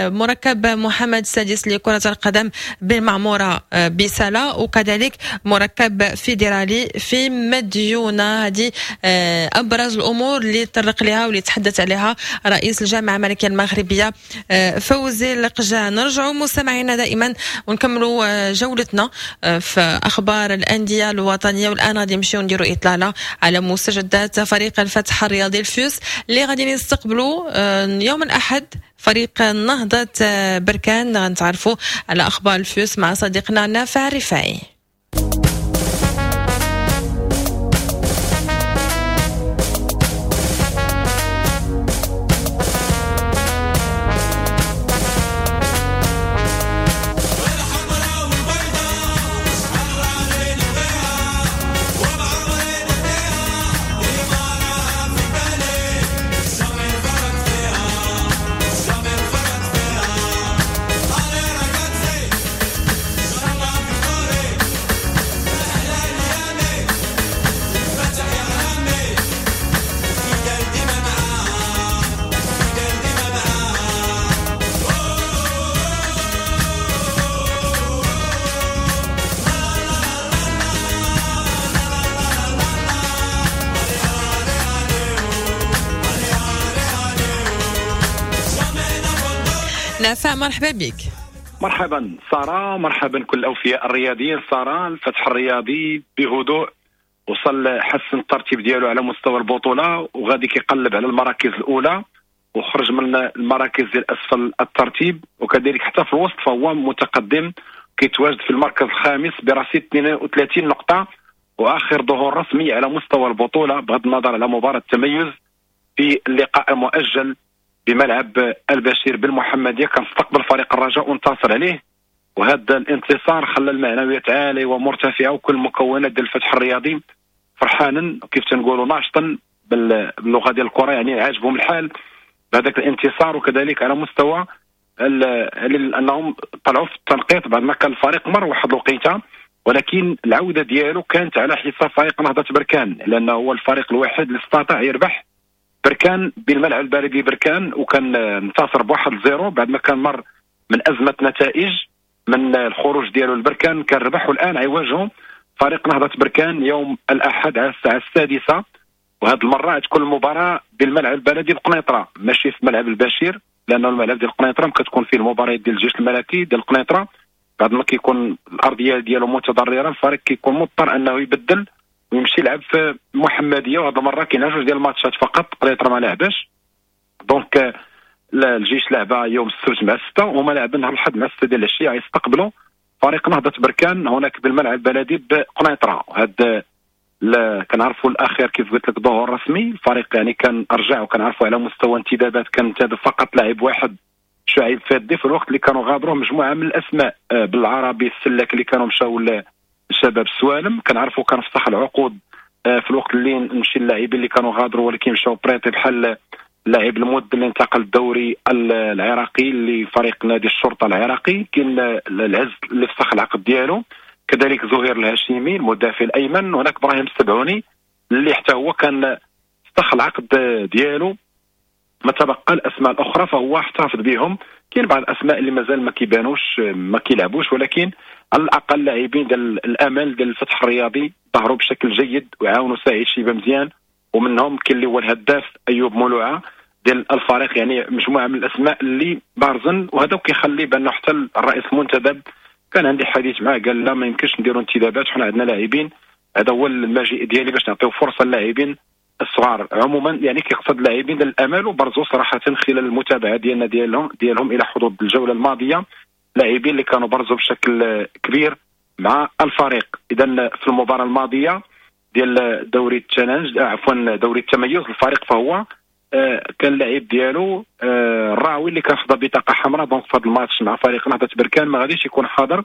مركب محمد السادس لكرة القدم بالمعموره بسلا وكذلك مركب فيدرالي في مديونة. هذه أبرز الأمور اللي تطرق لها واللي تحدث عليها رئيس الجامعة الملكية المغربية فوزي لقجع. نرجعوا مستمعينا دائما ونكملوا جولتنا في أخبار الأندية الوطنية، والآن غادي نمشيو نديروا إطلالة على مستجدات فريق الفتح الرياضي الفيوس اللي غادي نستقبلوا يوم الأحد فريق نهضة بركان. غنتعرفوا على أخبار الفيوس مع صديقنا نافع رفاعي. نافع مرحبا بك. مرحبا سارة، مرحبا كل الأوفياء الرياضيين. سارة، الفتح الرياضي بهدوء وصل حسن الترتيب ديالو على مستوى البطولة وغادي كيقلب على المراكز الأولى وخرج من المراكز ديال أسفل الترتيب، وكذلك حتى في الوسط فهو متقدم كيتواجد في المركز الخامس برصيد اثنين وثلاثين نقطة، وآخر ظهور رسمي على مستوى البطولة بغض النظر على مباراة التميز في اللقاء المؤجل بملعب البشير بالمحمديه. كان استقبل فريق الرجاء وانتصر عليه، وهذا الانتصار خلى المعنويات عالية ومرتفعه، وكل المكونات ديال الفتح الرياضي فرحانا كيف تنقولوا ناشطا باللغة ديال الكره، يعني عاجبهم الحال بهذاك الانتصار. وكذلك على مستوى انهم طلعوا في التنقيط بعد ما كان الفريق مر واحد الوقيته، ولكن العودة ديالو كانت على حساب فريق نهضة بركان، لانه هو الفريق الوحيد اللي استطاع يربح بركان بالملعب البلدي بركان، وكان انتصر بواحد zéro بعد ما كان مر من ازمة نتائج من الخروج ديالو لبركان، كان ربح. والان غيواجهوا فريق نهضة بركان يوم الاحد على الساعة السادسة، وهذه المرة تكون المباراة بالملعب البلدي بقنيطره ماشي في ملعب البشير، لانه الملعب ديال قنيطره كتكون فيه المباريات ديال الجيش الملكي ديال قنيطره، بعد ما كيكون الارضية ديالو متضرره الفريق كيكون مضطر انه يبدل ويمشي يلعب في المحمدية، وهذه المرة كاين جوج ديال الماتشات فقط، قنيطره ما لعبش. donc الجيش لعب يوم السبت مع ستة، وهما لاعبين نهار الاحد مع ستة ديال العشية، غيستقبلوا فريق نهضة بركان هناك بالملعب البلدي بقنيطره. وهذا كنعرفوا الاخير كيف قلت لك ظهور رسمي الفريق، يعني كان رجع، وكنعرفوا على مستوى انتدابات كان انتدب فقط لاعب واحد شعيب فادي، في الوقت اللي كانوا غادروا مجموعة من الاسماء بالعربي السلاك اللي كانوا مشاو لشباب السوالم، كنعرفوا كان فسخ العقود في الوقت اللي نمشي اللاعبين اللي كانوا غادروا ولكن مشاو prêtés، بحال اللاعب المود اللي انتقل الدوري العراقي لفريق نادي الشرطة العراقي، كاين العز اللي فسخ العقد ديالو، كذلك زهير الهاشمي المدافع الايمن، وهناك ابراهيم السبعوني اللي حتى هو كان فسخ العقد ديالو. ما تبقى الاسماء الاخرى فهو احتفظ بهم، كاين بعض الاسماء اللي مازال ما كيبانوش ما كيلعبوش، ولكن على الاقل لاعبين ديال الامل ديال الفتح الرياضي ظهروا بشكل جيد وعاونوا سعيد شيبة مزيان، ومنهم كاين اللي هو الهداف ايوب مولوعه ديال الفريق، يعني مجموعة من الاسماء اللي بارزن. وهذا كيخلي بانه حتى الرئيس المنتدب كان عندي حديث معاه قال لا ما يمكنش نديروا انتدابات، حنا عندنا لاعبين، هذا هو المجيء ديالي باش نعطيو فرصة للاعبين الصغار عموما، يعني كيقصد اللاعبين ديال الامل. وبرزوا صراحة خلال المتابعة ديالنا ديالهم ديالهم الى حدود الجولة الماضية لاعبين اللي كانوا برزوا بشكل كبير مع الفريق. اذا في المباراة الماضية ديال دوري ال Challenge عفوا دوري التميز الفريق فهو كان اللاعب ديالو الراوي اللي كان خدا بطاقة حمراء، donc في هذا الماتش مع فريق نهضة بركان ما غاديش يكون حاضر.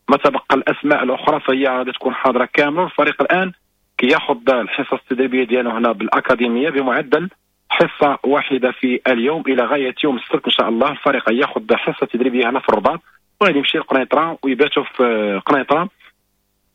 ما تبقى الاسماء الاخرى فهي غادي تكون حاضره كاملة. الفريق الان كياخذ الحصص التدريبية ديالو هنا بالاكاديميه بمعدل حصة واحدة في اليوم الى غاية يوم السبت ان شاء الله. الفريق ياخذ حصة تدريبية هنا في الرباط وغادي يمشي لقنيطره ويباتوا في قنيطره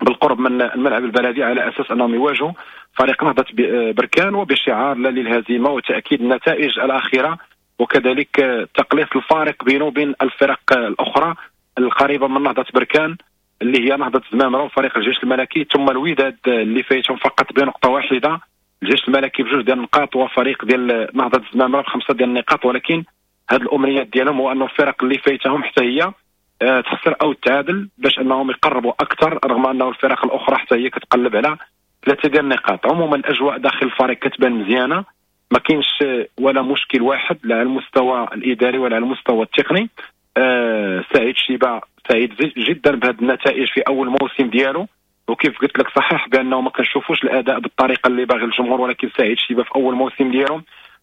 بالقرب من الملعب البلدي على اساس انهم يواجهوا فريق نهضة بركان، وبشعار لا للهزيمه وتاكيد النتائج الاخيرة، وكذلك تقليص الفارق بينه وبين الفرق الاخرى القريبة من نهضة بركان اللي هي نهضة زمامرة وفريق الجيش الملكي، ثم الوداد اللي فايتهم فقط بنقطة واحدة، الجيش الملكي بجوج ديال النقاط وفريق ديال نهضة زمامرة بخمسة ديال النقاط. ولكن هذه الامنيات ديالهم هو انه الفرق اللي فايتهم حتى هي تخسر او تعادل باش انهم يقربوا اكثر، رغم انه الفرق الاخرى حتى هي كتقلب على ثلاثة ديال النقاط. عموما الاجواء داخل الفريق كتبان مزيانه، ما كاينش ولا مشكل واحد لا على المستوى الاداري ولا على المستوى التقني. آه سعيد شيبة سعيد جدا بهذه النتائج في اول موسم ديالو، وكيف قلت لك صحيح بانه ما كنشوفوش الاداء بالطريقة اللي باغي الجمهور، ولكن سعيد شيبة في اول موسم ديالو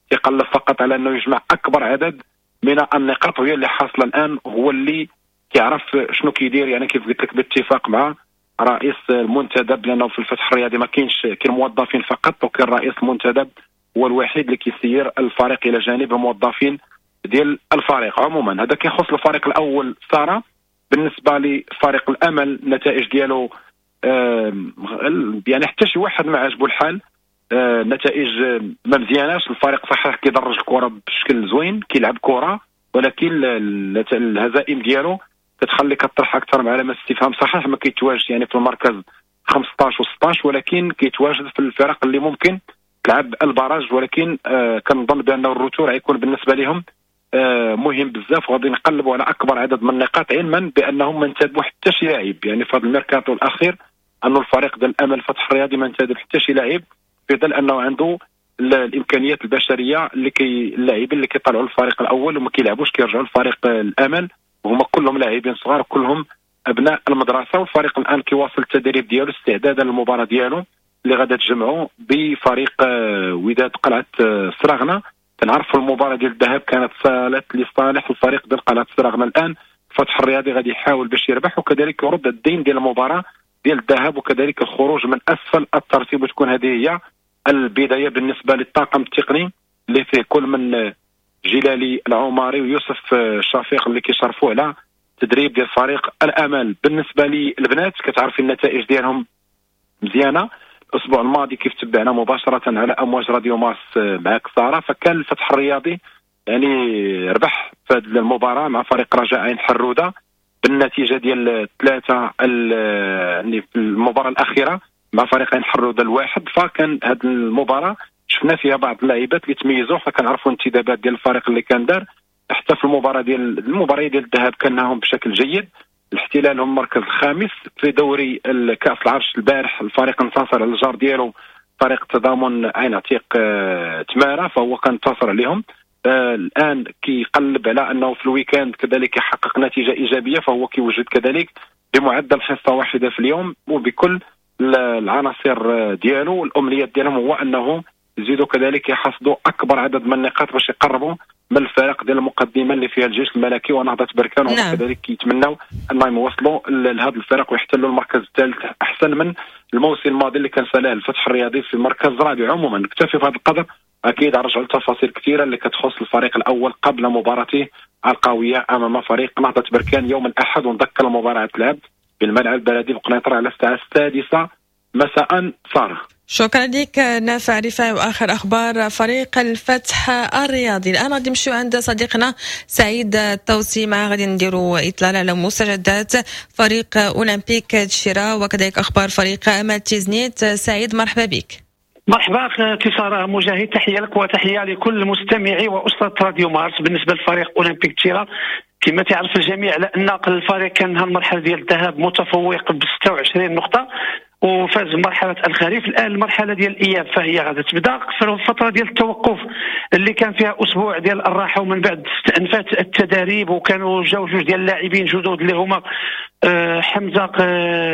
تيقلب فقط على انه يجمع اكبر عدد من النقاط، وهي اللي حاصله الان، هو اللي كيعرف شنو كيدير، يعني كيف قلت لك باتفاق مع رئيس المنتدب، لانه في الفتح الرياضي ما كاينش كاين موظفين فقط، وكاين رئيس المنتدب هو الوحيد اللي كيسير الفريق الى جانب الموظفين ديال الفريق. عموما هذا كيخص الفريق الاول ساره. بالنسبة لفريق الامل النتائج ديالو يعني حتى شي واحد ما عجبو الحال، النتائج ما مزياناش. الفريق صحيح كيدرج الكره بشكل زوين، كيلعب كره، ولكن الهزائم ديالو كتخلي كطرح اكثر من علامات استفهام. صحيح ما كيتواجد يعني في المركز خمسطاش وستطاش، ولكن كيتواجد في الفرق اللي ممكن تلعب ال barrage، ولكن آه كنظن بانه ال retour غيكون بالنسبة لهم آه مهم بزاف، وغادي نقلبوا على اكبر عدد من النقاط، علما بانهم ما انتدبوا حتى شي لاعب. يعني في هذا الميركاتو الاخير انه الفريق ديال الامل الفتح الرياضي ما انتدب حتى شي لاعب، في ظل انه عنده الامكانيات البشرية اللي كي اللاعبين اللي كيطلعوا للفريق الاول وما كيلعبوش كيرجعوا للفريق الامل، وهما كلهم لاعبين صغار كلهم ابناء المدرسة. والفريق الان كيواصل التدريب ديالو استعدادا للمباراة ديالو اللي غادا تجمعوا بفريق آه، وداد قلعه آه، سراغنه. كنعرفوا المباراة ديال الذهاب كانت سالت لصالح الفريق ديال قلعه سراغنه. الان الفتح الرياضي غادي يحاول باش يربح وكذلك يرد الدين ديال المباراة ديال الذهاب، وكذلك الخروج من اسفل الترتيب، وتكون هذه هي البداية بالنسبة للطاقم التقني اللي فيه كل من جلالي العماري ويوسف شفيق اللي كيشرفوا على تدريب ديال فريق الامل. بالنسبة للبنات كتعرفي النتائج ديالهم مزيانه. الاسبوع الماضي كيف تبعنا مباشرة على امواج راديو مارس معك ساره، فكان الفتح الرياضي يعني ربح في هذه المباراة مع فريق رجاء عين حروده بالنتيجة ديال ثلاثة يعني في المباراة الاخيرة مع فريق عين حروده الواحد. فكان هذه المباراة شفنا فيها بعض اللاعبات اللي تميزوا، فكنعرفوا الانتدابات ديال الفريق اللي كان دار حتى في المباراة ديال المباراة ديال الذهاب كان بشكل جيد. الاحتلال هم المركز الخامس في دوري الكاس العرش. البارح الفريق انتصر على الجار ديالو فريق تضامن عين عتيق آه، تمارا، فهو كان انتصر عليهم. آه الان كيقلب على انه في ال week-end كذلك يحقق نتيجة ايجابية، فهو كيوجد كذلك بمعدل حصة واحدة في اليوم وبكل العناصر ديالو. الامنيات ديالهم هو انه يزيدوا كذلك يحصدوا اكبر عدد من النقاط باش يقربوا من الفرق ديال المقدمة اللي فيها الجيش الملكي ونهضه بركان. نعم. وكذلك يتمنوا انهم يوصلوا لهذا الفرق ويحتلوا المركز الثالث احسن من الموسم الماضي اللي كان سالاه الفتح الرياضي في المركز الرابع. عموما نكتفي في هذا القدر، اكيد نرجع لتفاصيل كثيرة اللي كتخص الفريق الاول قبل مباراته القوية امام فريق نهضة بركان يوم الاحد. ونذكر المباراة تلعب بالملعب البلدي بقنيطره على الساعة السادسة مساء. ساره، شكرا لك نافع رفاعي واخر اخبار فريق الفتح الرياضي. الان غادي نمشيو عند صديقنا سعيد التوسي، مع غادي نديروا اطلالة على مستجدات فريق اولمبيك دشيرة وكذلك اخبار فريق امل تيزنيت. سعيد مرحبا بك. مرحبا اختي ساره مجاهد، تحية لك وتحية لكل مستمعي واسره راديو مارس. بالنسبة لفريق اولمبيك دشيرة كما تعرف الجميع على ان الفريق كان المرحلة ديال الذهاب متفوق ب ستة وعشرين نقطة وفاز بمرحلة الخريف. الان المرحلة ديال الاياب فهي غادا تبدا في الفترة ديال التوقف اللي كان فيها اسبوع ديال الراحة، ومن بعد استأنفت التداريب وكانوا جاو جوج ديال اللاعبين جدد اللي هما حمزة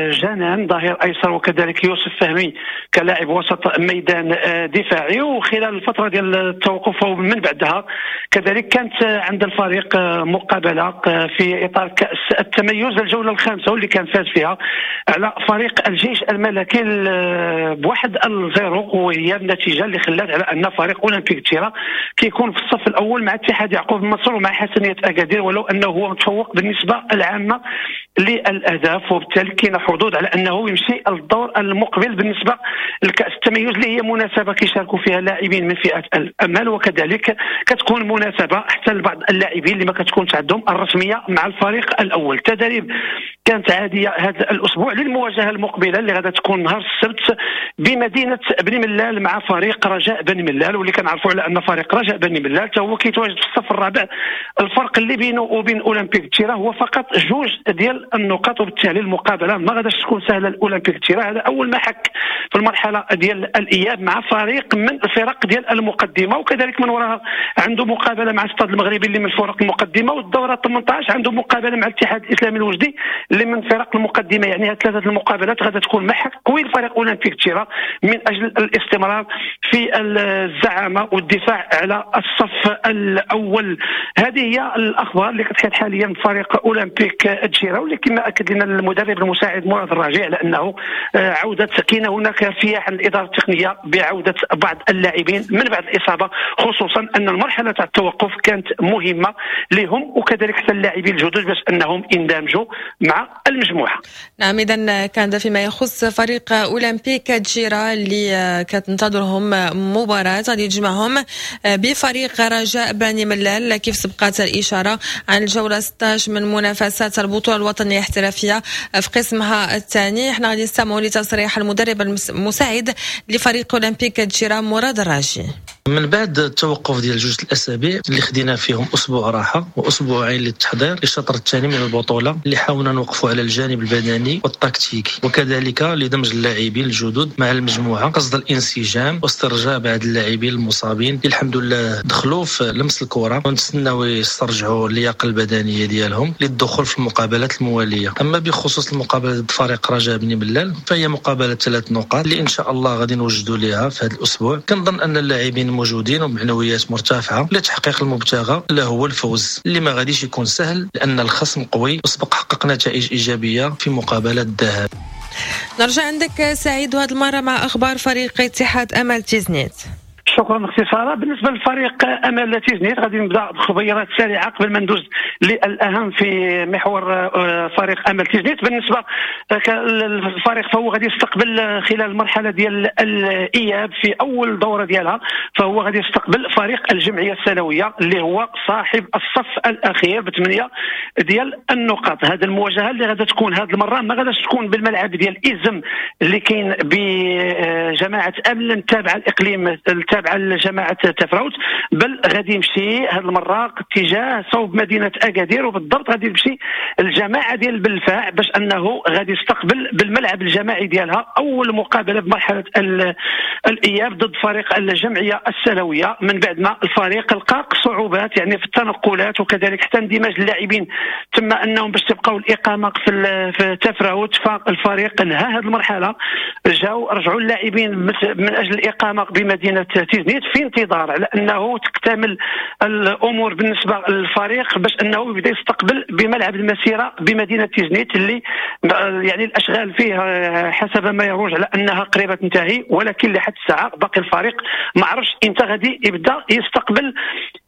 جنان ظهير ايسر وكذلك يوسف فهمي كلاعب وسط ميدان دفاعي. وخلال الفترة ديال التوقف ومن بعدها كذلك كانت عند الفريق مقابله في اطار كاس التميز الجولة الخامسة واللي كان فاز فيها على فريق الجيش الملكي بواحد الزيرو، وهي النتيجة اللي خلات على ان فريق اولمبيك دشيرة كيكون في الصف الاول مع اتحاد يعقوب مصر ومع حسنيه اكادير، ولو انه هو متفوق بالنسبة العامة للاهداف، وبالتالي كاين حظوظ على انه يمشي للدور المقبل بالنسبة لكاس التميز اللي هي مناسبة كيشاركوا فيها لاعبين من فئة الامال، وكذلك كتكون مناسبة حتى لبعض اللاعبين اللي ما كتكونش عندهم الرسمية مع الفريق الاول. التدريب كانت عادية هذا الاسبوع للمواجهه المقبلة اللي غادا تكون نهار السبت بمدينة بني ملال مع فريق رجاء بني ملال، واللي كنعرفوا على ان فريق رجاء بني ملال حتى هو كيتواجد في الصف الرابع. الفرق اللي بينه وبين اولمبيك دشيرة هو فقط جوج ديال النقاط، وبالتالي المقابلة ما غاداش تكون سهلة لاولمبيك دشيرة. هذا اول محك في المرحلة ديال الاياب مع فريق من الفرق ديال المقدمة، وكذلك من وراها عنده مقابله مع الستاد المغربي اللي من الفرق المقدمة، والدوره ثمنطاش عنده مقابله مع الاتحاد الاسلامي الوجدي اللي من فرق المقدمة. يعني هاد ثلاثة المقابلات غادا تكون محك قوي لفريق اولمبيك دشيرة من اجل الاستمرار في الزعامه والدفاع على الصف الاول. هذه هي الاخبار اللي كتحيط حاليا بفريق اولمبيك دشيرة، واللي كما اكد لنا المدرب المساعد مراد الراجع على انه عوده كاينه هناك ارتياح الادارة التقنية بعوده بعض اللاعبين من بعد الاصابة، خصوصا ان المرحلة تاع التوقف كانت مهمة لهم وكذلك حتى اللاعبين الجدد باش انهم يندمجوا مع المجموعة. نعم، اذا كان فيما يخص فريق اولمبيك دشيرة اللي كتنتظرهم مباراة غادي تجمعهم بفريق رجاء بني ملال كيف سبقت الاشارة عن الجولة ستة عشر من منافسات البطولة الوطنية الاحترافية في قسمها الثاني. احنا غادي نستمعوا لتصريح المدرب المساعد لفريق اولمبيك دشيرة مراد الراجي. من بعد التوقف ديال جوج الاسابيع اللي خدينا فيهم اسبوع راحة واسبوعين للتحضير للشطر الثاني من البطولة، اللي حاولنا نوقفوا على الجانب البدني والتكتيكي، وكذلك لدمج اللاعبين الجدد مع المجموعة قصد الانسجام واسترجاع بعض اللاعبين المصابين اللي الحمد لله دخلوا في لمس الكره، ونتسناو يسترجعوا اللياقة البدنية ديالهم للدخول في المقابلات الموالية. اما بخصوص المقابلة ضد فريق رجاء بني ملال فهي مقابله ثلاث نقاط اللي ان شاء الله غادي نوجدوا لها في هذا الاسبوع. كنظن ان اللاعبين موجودين ومعنويات مرتفعة لتحقيق المبتغى اللي هو الفوز، اللي ما غاديش يكون سهل لان الخصم قوي وسبق حقق نتائج ايجابية في مقابله الذهاب. نرجع عندك سعيد وهذه المرة مع اخبار فريق اتحاد امل تيزنيت. شكرا اختي ساره. بالنسبة للفريق امل تيزنيت غادي نبدا بخبيرات سريعة قبل ما ندوز للاهم في محور فريق امل تيزنيت. بالنسبة للفريق فهو غادي يستقبل خلال المرحلة ديال الاياب في اول دوره ديالها، فهو غادي يستقبل فريق الجمعية السنوية اللي هو صاحب الصف الاخير بثمانية ديال النقاط. هذه المواجهة اللي غادي تكون هذه المرة ما غاديش تكون بالملعب ديال ازم اللي كاين بجماعة امل التابعة الاقليم التابعة لجماعة تفراوت، بل غادي يمشي هذه المرة اتجاه صوب مدينة اكادير، وبالضبط غادي يمشي الجماعة ديال بالفاع باش انه غادي يستقبل بالملعب الجماعي ديالها اول مقابله بمرحلة الاياب ضد فريق الجمعية السلويه، من بعد ما الفريق لقى صعوبات يعني في التنقلات وكذلك حتى اندماج اللاعبين تم انهم باش تبقاو الاقامة في في تفراوت. فالفريق انهى هذه المرحلة، جاو رجعوا اللاعبين من اجل الاقامة بمدينة تيزنيت في انتظار على انه تكتمل الامور بالنسبة للفريق باش انه يبدا يستقبل بملعب المسيرة بمدينة تيزنيت اللي يعني الاشغال فيه حسب ما يروج على انها قريبه تنتهي، ولكن لحد الساعة باقي الفريق ما عرفش امتى غادي يبدا يستقبل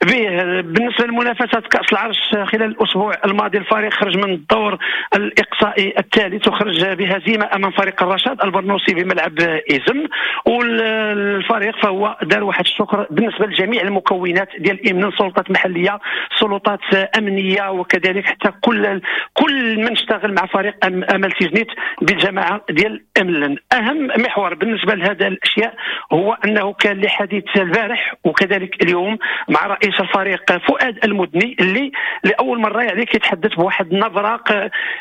به. بالنسبة لمنافسات كاس العرش خلال الاسبوع الماضي الفريق خرج من الدور الاقصائي الثالث وخرج بهزيمة امام فريق الرشاد البرنوسي بملعب ازم، والفريق فهو دار واحد الشكر بالنسبة لجميع المكونات ديال من سلطات محليه، سلطات امنية، وكذلك حتى كل كل من اشتغل مع فريق امل تيزنيت بالجماعة ديال املن. اهم محور بالنسبة لهذا الاشياء هو انه كان لي حديث البارح وكذلك اليوم مع رئيس الفريق فؤاد المدني اللي لاول مرة يعني كيتحدث بواحد النبرة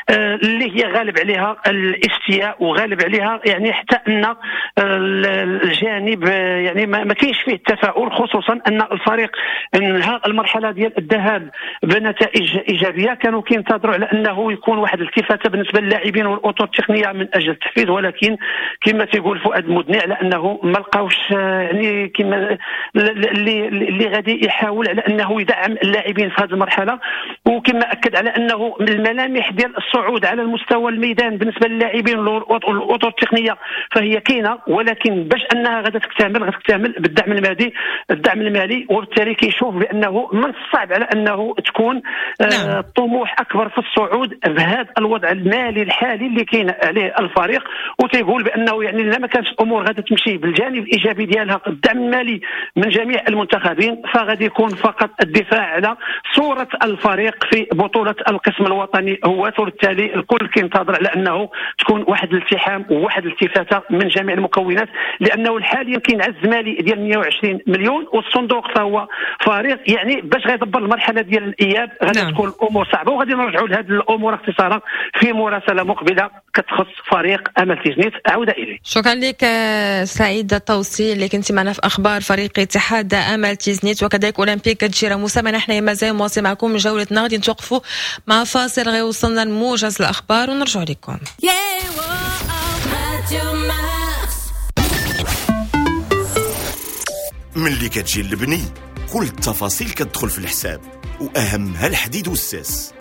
اللي هي غالب عليها الاستياء وغالب عليها يعني حتى ان الجانب يعني ما كاينش فيه التفاؤل، خصوصا ان الفريق انهى المرحلة ديال الذهاب بنتائج ايجابية. كانوا كينتظروا على انه يكون واحد الالتفاته بالنسبة للاعبين والاطر التقنية من اجل التحفيز، ولكن كما تيقول فؤاد المدني على انه ما لقاوش يعني كما اللي اللي غادي يحاول على انه يدعم اللاعبين في هذه المرحلة. وكما اكد على انه الملامح ديال الصعود على المستوى الميدان بالنسبة للاعبين والاطر التقنية فهي كاينه، ولكن باش انها غادا تكتمل غتكتمل بالدعم المادي الدعم المالي، وبالتالي كيشوف بانه من الصعب على انه تكون نعم. طموح اكبر في الصعود بهذا الوضع المالي الحالي اللي كاين عليه الفريق. وتيقول بانه يعني لا ما كانش الامور غادا تمشي بالجانب الايجابي ديالها الدعم المالي من جميع المنتخبين، فغادي يكون فقط الدفاع على صوره الفريق في بطوله القسم الوطني هو، وبالتالي الكل كينتظر على انه تكون واحد الالتحام وواحد الالتفاته من جميع المكونات، لانه حاليا كاين عجز مالي ديال مئة وعشرين مليون والصندوق فهو فارغ، يعني باش غيدبر المرحلة ديال الاياب غادي نعم. تكون الامور صعبة، وغادي نرجعوا لهذه الامور اختصارا في مراسله مقبله كتخص فريق امل تيزنيت. عوده اليه. شكرا لك سعيد الطوسي اللي كنت معنا في اخبار فريق اتحاد امل تيزنيت وكذلك اولمبيك دجيره. موسى نحن مازال مواصل معكم جولتنا، غادي نتوقفوا مع فاصل غيوصلنا لموجز الاخبار ونرجع لكم. ملي كتجي للبني كل التفاصيل كتدخل في الحساب، واهمها الحديد والساس.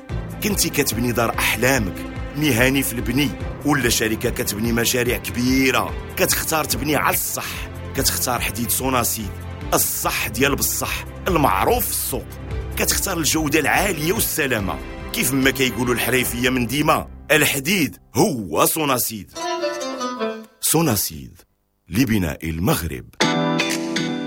كنتي كتبني دار احلامك، مهني في البني ولا شركة كتبني مشاريع كبيرة، كتختار تبني على الصح، كتختار حديد سوناسيد الصح ديال بالصح المعروف في السوق، كتختار الجودة العالية والسلامة. كيف ما كيقولوا الحريفيه من ديما، الحديد هو سوناسيد. سوناسيد لبناء المغرب.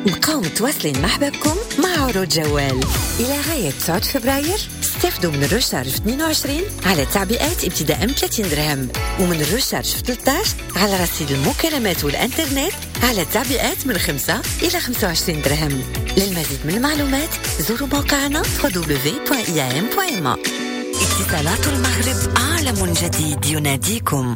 بقاو متواصلين مع حبابكم مع عروض جوال إلى غاية تسعة فبراير. استفدوا من ال recharge في اثنين وعشرين على تعبئات ابتداء من ثلاثين درهم، ومن ال recharge في ثلاثة عشر على رصيد المكالمات والانترنت على تعبئات من خمسة إلى خمسة وعشرين درهم. للمزيد من المعلومات زوروا موقعنا دبليو دبليو دبليو دوت إي إم دوت إم إيه. اتصالات المغرب، عالم جديد يناديكم.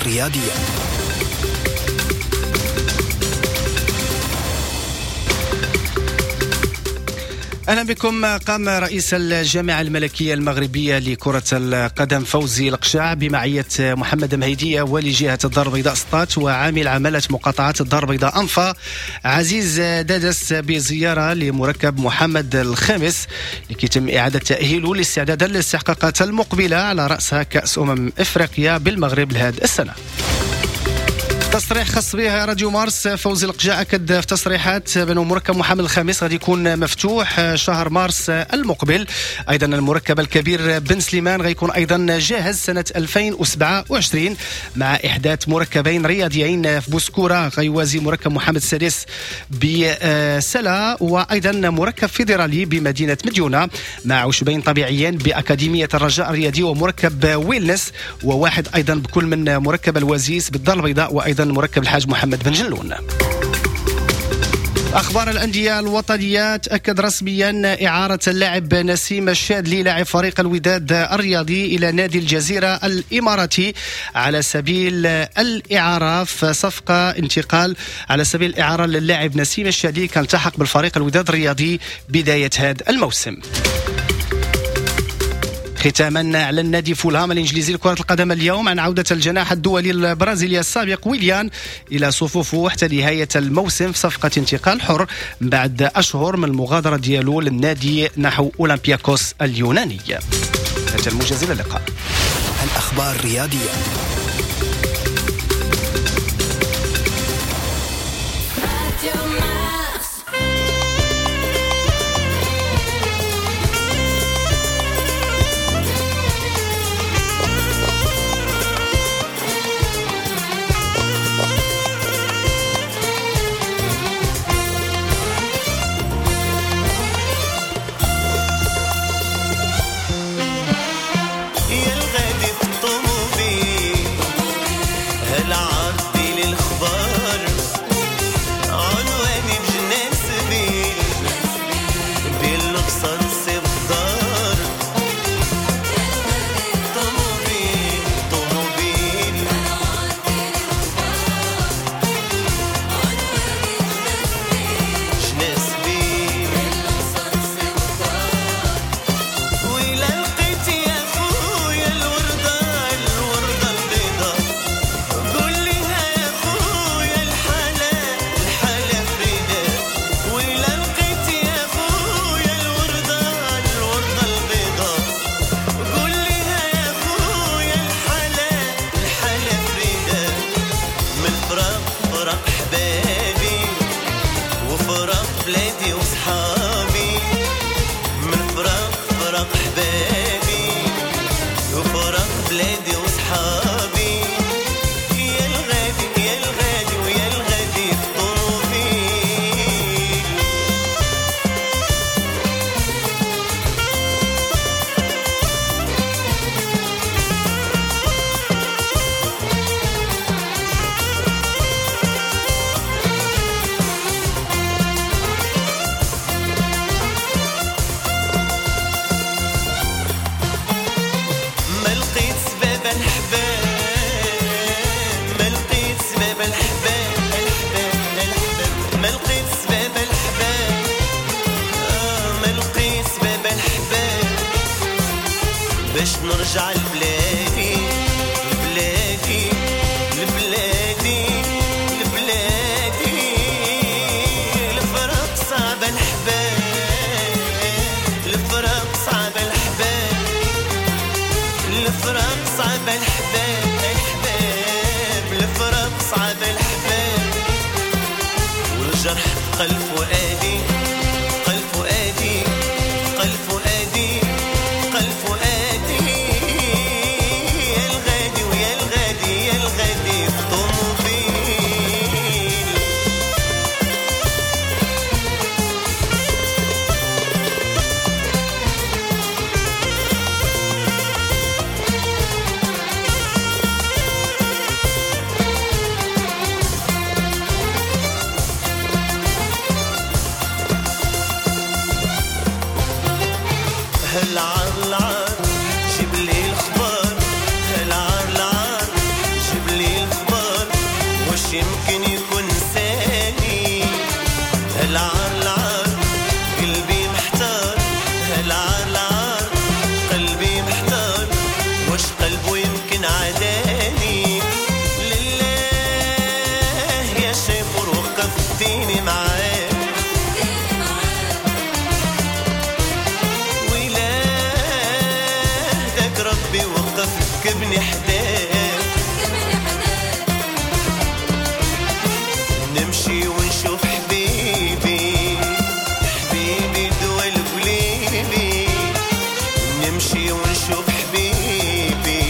الرياضية. أهلا بكم. قام رئيس الجامعة الملكية المغربية لكرة القدم فوزي لقجع بمعية محمد مهيدية والي جهة الدار البيضاء سطات وعامل عمالة مقاطعة الدار البيضاء أنفا عزيز دادس بزيارة لمركب محمد الخامس لكي يتم إعادة تأهيله لاستعدادا للاستحقاقات المقبلة على رأسها كأس أمم إفريقيا بالمغرب لهذه السنة. تصريح خاص به راديو مارس، فوزي لقجع أكد في تصريحات بأنه مركب محمد الخامس غادي يكون مفتوح شهر مارس المقبل. أيضا المركب الكبير بن سليمان غيكون أيضا جاهز سنة ألفين وسبعة وعشرين مع إحداث مركبين رياضيين في بوسكورة غيوازي مركب محمد السادس بسلا، وأيضا مركب فيدرالي بمدينة مديونة مع عشبين طبيعيين بأكاديمية الرجاء الرياضي ومركب ويلنس، وواحد أيضا بكل من مركب الوزيس بالدار البيضاء وأيضا مركب الحاج محمد بن جلون. أخبار الأندية الوطنية، تأكد رسميا إعارة اللاعب نسيم الشادلي لاعب فريق الوداد الرياضي إلى نادي الجزيرة الإماراتي على سبيل الإعارة، في صفقة انتقال على سبيل الإعارة للاعب نسيم الشادلي كان التحق بالفريق الوداد الرياضي بداية هذا الموسم. ختاما، اعلن نادي فولهام الانجليزي لكرة القدم اليوم عن عوده الجناح الدولي البرازيلي السابق ويليان الى صفوفه حتى نهاية الموسم في صفقة انتقال حر بعد اشهر من المغادرة ديالو للنادي نحو اولمبياكوس اليوناني. هذا الموجز، الى اللقاء. الاخبار الرياضية. يا الغادي في الطوموبيل، هالعرضي للخبار، عنواني بجنان سبيل بالقصر سبدار. طوموبيل طوموبيل، جنان سبيل. وإلا لقيت يا خويا الوردة الوردة البيضاء، قول لها يا خويا الحالة الحالة فريدة. وإلا لقيت يا خويا الوردة الوردة البيضاء، قول لها يا خويا الحالة الحالة فريدة. من فراق فراق حبابي وفراق بلادي وصحابي، من فراق فراق حبابي وفراق بلادي وصحابي. يا الغادي يا الغادي ويا الغادي في طوموبيل. ما لقيت سباب الحباب، ما لقيت سباب الحباب الحباب الحباب، ما لقيت سباب الحباب، آه ما لقيت سباب الحباب باش نرجع لبلادي لبلادي لبلادي لبلادي. الفراق صعب الحباب، الفراق صعب الحباب، الفراق صعب الحباب الحباب، الفراق صعب الحباب. والجرح قلب فؤادي قلب فؤادي قلب فؤادي قلب فؤادي. يا الغادي ويا الغادي يا الغادي في طوموبيل. هالعار العار جيب لي الخبار، هالعار العار جيب لي الخبار، واش يمكن يكون ثاني. هالعار العار قلبي محتار، هالعار العار قلبي محتار، واش قلبه يمكن عداني. لله يا شيفور وقفتيني معاك، ويلاه داك ربي وقف ركبني حداك، نمشي ونشوف حبيبي حبيبي دول قليبي، نمشي ونشوف حبيبي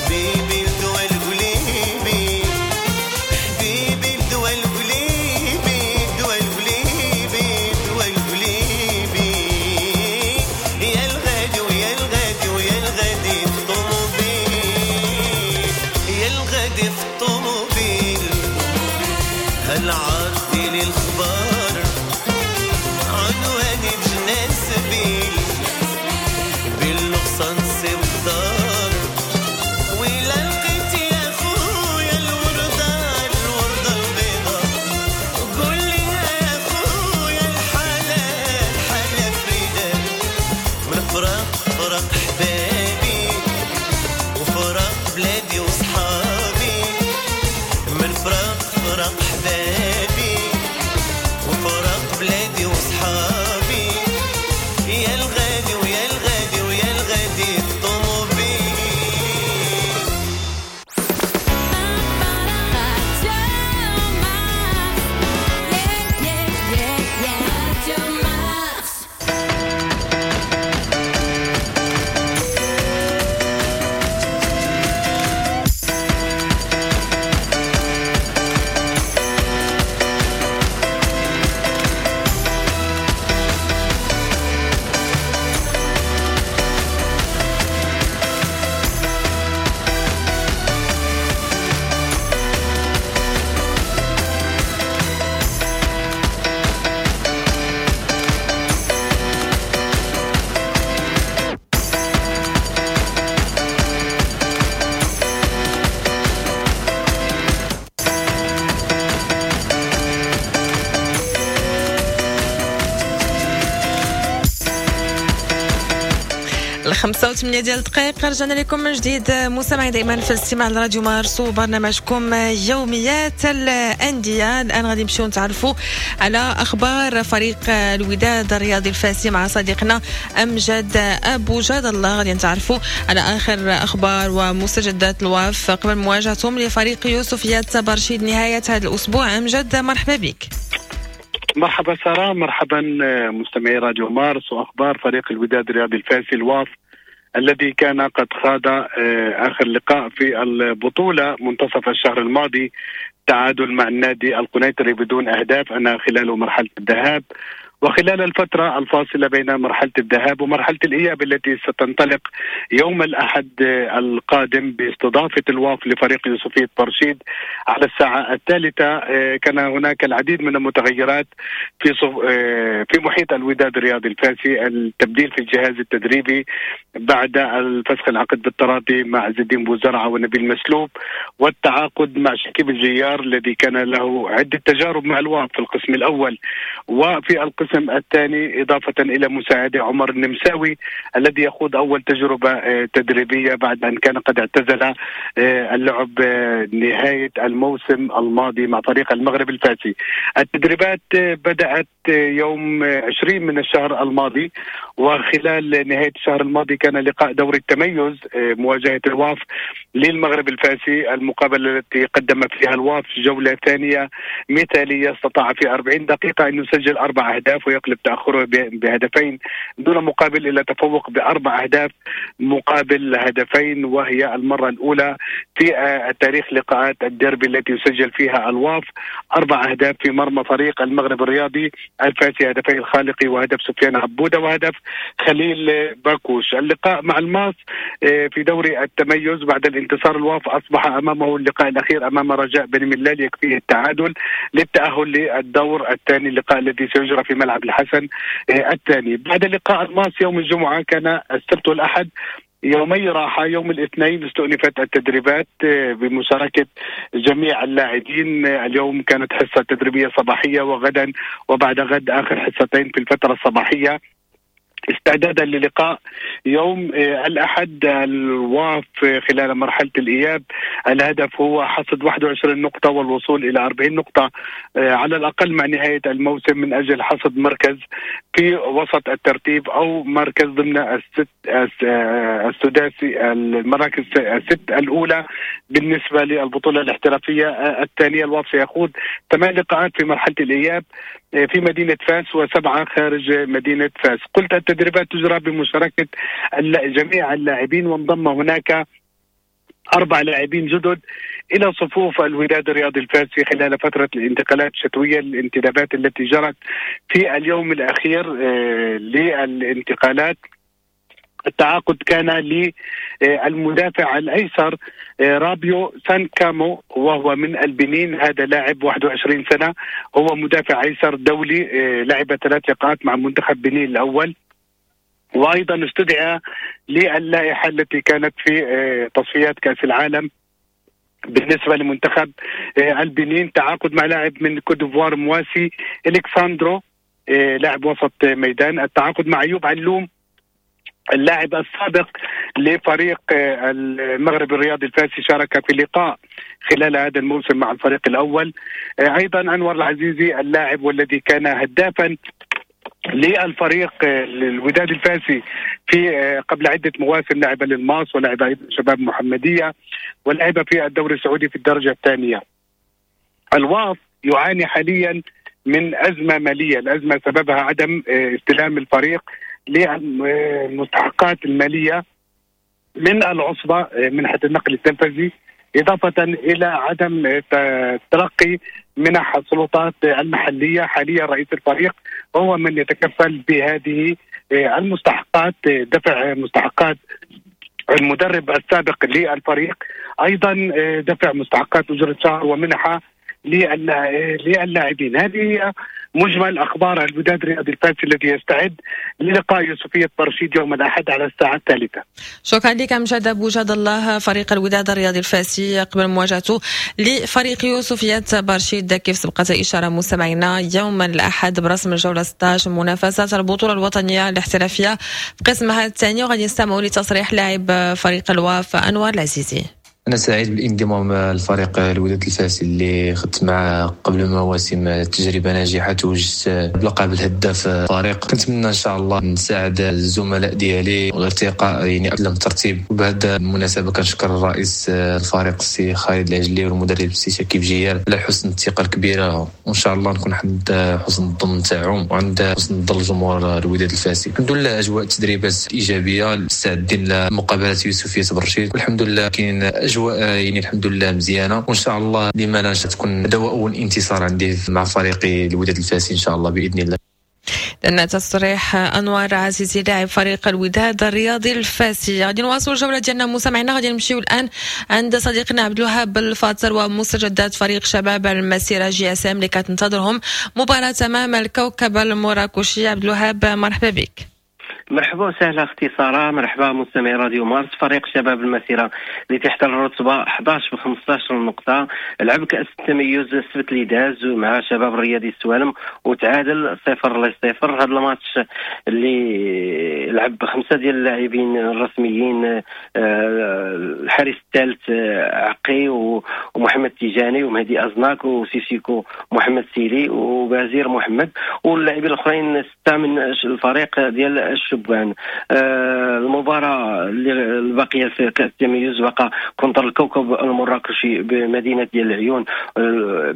حبيبي دول قليبي، حبيبي دول قليبي دول قليبي دول قليبي. يا الغادي ويا الغادي ويا الغادي في الطوموبيل، يا الغادي في الطوموبيل. هالعرض للخبار فرصة نصيب دار. ولا لقيت يا خويا الوردة الوردة البيضاء، قول لي يا خويا الحالة الحالة فريدة، من فراق فراق حبابي وفراق بلادي وصحابي، من فراق فراق حبابي وفراق بلادي وصحابي، يا الغادي ويا الغادي ويا الغادي في طوموبيل. الخمسة وثمانية ديال الدقائق رجعنا لكم من جديد مستمعي دائما في الاستماع لراديو مارس وبرنامجكم يوميات الأندية. الآن غادي نمشيو نتعرفوا على أخبار فريق الوداد الرياضي الفاسي مع صديقنا أمجد أبو جاد الله. غادي نتعرفوا على آخر أخبار ومستجدات الواف قبل مواجهتهم لفريق يوسفية برشيد نهاية هذا الأسبوع. أمجد مرحبا بك. مرحبا سارة، مرحبا مستمعي راديو مارس وأخبار فريق الوداد الرياضي الفاسي الواف الذي كان قد خاض آخر لقاء في البطولة منتصف الشهر الماضي، تعادل مع النادي القنيطري بدون أهداف أنا خلال مرحلة الذهاب، وخلال الفترة الفاصلة بين مرحلة الذهاب ومرحلة الإياب التي ستنطلق يوم الأحد القادم باستضافة الواف لفريق يوسفية برشيد على الساعة الثالثة. كان هناك العديد من المتغيرات في في محيط الوداد الرياضي الفاسي، التبديل في الجهاز التدريبي بعد الفسخ العقد بالتراضي مع عز الدين بوزرعة ونبيل مسلوب، والتعاقد مع شكيب الجيار الذي كان له عدة تجارب مع الواف في القسم الأول وفي القسم الثاني، إضافة إلى مساعدة عمر النمساوي الذي يخوض أول تجربة تدريبية بعد أن كان قد اعتزل اللعب نهاية الموسم الماضي مع فريق المغرب الفاسي. التدريبات بدأت يوم عشرين من الشهر الماضي، وخلال نهاية الشهر الماضي كان لقاء دوري التميز مواجهة الواف للمغرب الفاسي، المقابلة التي قدم فيها الواف جولة ثانية مثالية، استطاع في أربعين دقيقة أن يسجل أربع أهداف ويقلب تأخره بهدفين دون مقابل إلى تفوق بأربع أهداف مقابل هدفين، وهي المرة الأولى في تاريخ لقاءات الديربي التي يسجل فيها الواف أربع أهداف في مرمى فريق المغرب الرياضي الفاسي، هدفي الخالقي وهدف سفيان عبودة وهدف خليل باكوش. اللقاء مع الماس في دوري التميز بعد الانتصار الواف أصبح أمامه اللقاء الأخير أمام رجاء بني ملال يكفيه التعادل للتأهل للدور الثاني، اللقاء الذي سيجرى في ملعب الحسن الثاني. بعد لقاء الماس يوم الجمعة كان السبت والأحد يومي راحة، يوم الاثنين استؤنفت التدريبات بمشاركة جميع اللاعبين، اليوم كانت حصة تدريبية صباحية وغدا وبعد غد آخر حصتين في الفترة الصباحية استعدادا للقاء يوم الأحد الواف خلال مرحلة الإياب. الهدف هو حصد واحد وعشرين نقطة والوصول إلى أربعين نقطة على الأقل مع نهاية الموسم من أجل حصد مركز في وسط الترتيب أو مركز ضمن الست السداسي المراكز الست الأولى بالنسبة للبطولة الاحترافية الثانية. الواف سيخوض ثمان لقاءات في مرحلة الإياب في مدينة فاس وسبعة خارج مدينة فاس. قلت التدريبات تجرى بمشاركة جميع اللاعبين، وانضم هناك أربع لاعبين جدد إلى صفوف الوداد الرياضي الفاسي خلال فترة الانتقالات الشتوية، الانتدابات التي جرت في اليوم الأخير للانتقالات. التعاقد كان للمدافع الأيسر رابيو سانكامو وهو من البنين، هذا لاعب واحد وعشرين سنة، هو مدافع أيسر دولي، لعب ثلاث لقاءات مع منتخب بنين الأول. وايضا استدعى للائحه التي كانت في تصفيات كاس العالم بالنسبة لمنتخب البنين. تعاقد مع لاعب من كوت ديفوار مواسي الكساندرو لاعب وسط ميدان. التعاقد مع ايوب علوم اللاعب السابق لفريق المغرب الرياضي الفاسي، شارك في لقاء خلال هذا الموسم مع الفريق الأول. أيضا أنور العزيزي اللاعب والذي كان هدافا للفريق الوداد الفاسي في قبل عدة مواسم، لعب للماس ولعب أيضا شباب محمدية ولعب في الدوري السعودي في الدرجة الثانية. الواف يعاني حاليا من أزمة مالية، الأزمة سببها عدم استلام الفريق للمستحقات المالية من العصبة منحة النقل التنفيذي، إضافة إلى عدم تلقي منح السلطات المحلية. حاليا رئيس الفريق هو من يتكفل بهذه المستحقات، دفع مستحقات المدرب السابق للفريق، أيضا دفع مستحقات أجرة شهر ومنحة للاعبين. هذه هي مجمل أخبار الوداد الرياضي الفاسي الذي يستعد للقاء يوسفية برشيد يوم الأحد على الساعة الثالثة. شكرا لك أمجد أبو جاد الله. فريق الوداد الرياضي الفاسي قبل مواجهته لفريق يوسفية برشيد كيف سبقت إشارة مستمعينا يوم الأحد برسم الجولة ستة عشر منافسة البطولة الوطنية الاحترافية في قسمها الثاني. وغادي نستمعوا لتصريح لاعب فريق الواف أنور العزيزي. أنا سعيد بالانضمام للفريق الوداد الفاسي اللي خدت معه قبل مواسم تجربة ناجحة، توجت بلقب الهداف الفريق. كنتمنى إن شاء الله نساعد الزملاء ديالي والارتقاء يعني قبل الترتيب. وبهذا المناسبة كنشكر الرئيس الفريق السي خالد العجلي والمدرب السي شكيب جيال على حسن الثقة الكبيرة، وإن شاء الله نكون عند حسن الظن تاعهم وعند حسن الظن الجمهور الوداد الفاسي. الحمد لله أجواء التدريبات إيجابية، مستعدين لمقابلة يوسفية برشيد، والحمد لله كاين أجواء يعني الحمد لله مزيانه، وان شاء الله لما لا تكون هذا هو اول انتصار عندي مع فريقي الوداد الفاسي ان شاء الله باذن الله. لأن تصريح أنور عزيزي لاعب فريق الوداد الرياضي الفاسي. غادي نواصلوا الجولة ديالنا مستمعينا، غادي نمشيو الآن عند صديقنا عبد الوهاب الفاطر ومستجدات فريق شباب المسيرة JSM اللي كتنتظرهم مباراة أمام الكوكب المراكشي. عبد الوهاب مرحبا بك. مرحبا وسهلا اختي ساره، مرحبا مستمعي راديو مارس. فريق شباب المسيرة اللي تحت الرتبة احد عشر ب خمسة عشر نقطة لعب كاس التميز السبت اللي داز مع شباب الرياضي السوالم وتعادل صفر لصفر. هذا الماتش اللي لعب بخمسة ديال اللاعبين الرسميين، الحارس الثالث عقي ومحمد تيجاني ومهدي ازناك وسيسيكو محمد سيلي وبازير محمد، واللاعبين الاخرين ستة من الفريق ديال الشباب. المباراة اللي الباقية في كأس التمييز بقى contre الكوكب المراكشي بمدينة ديال العيون،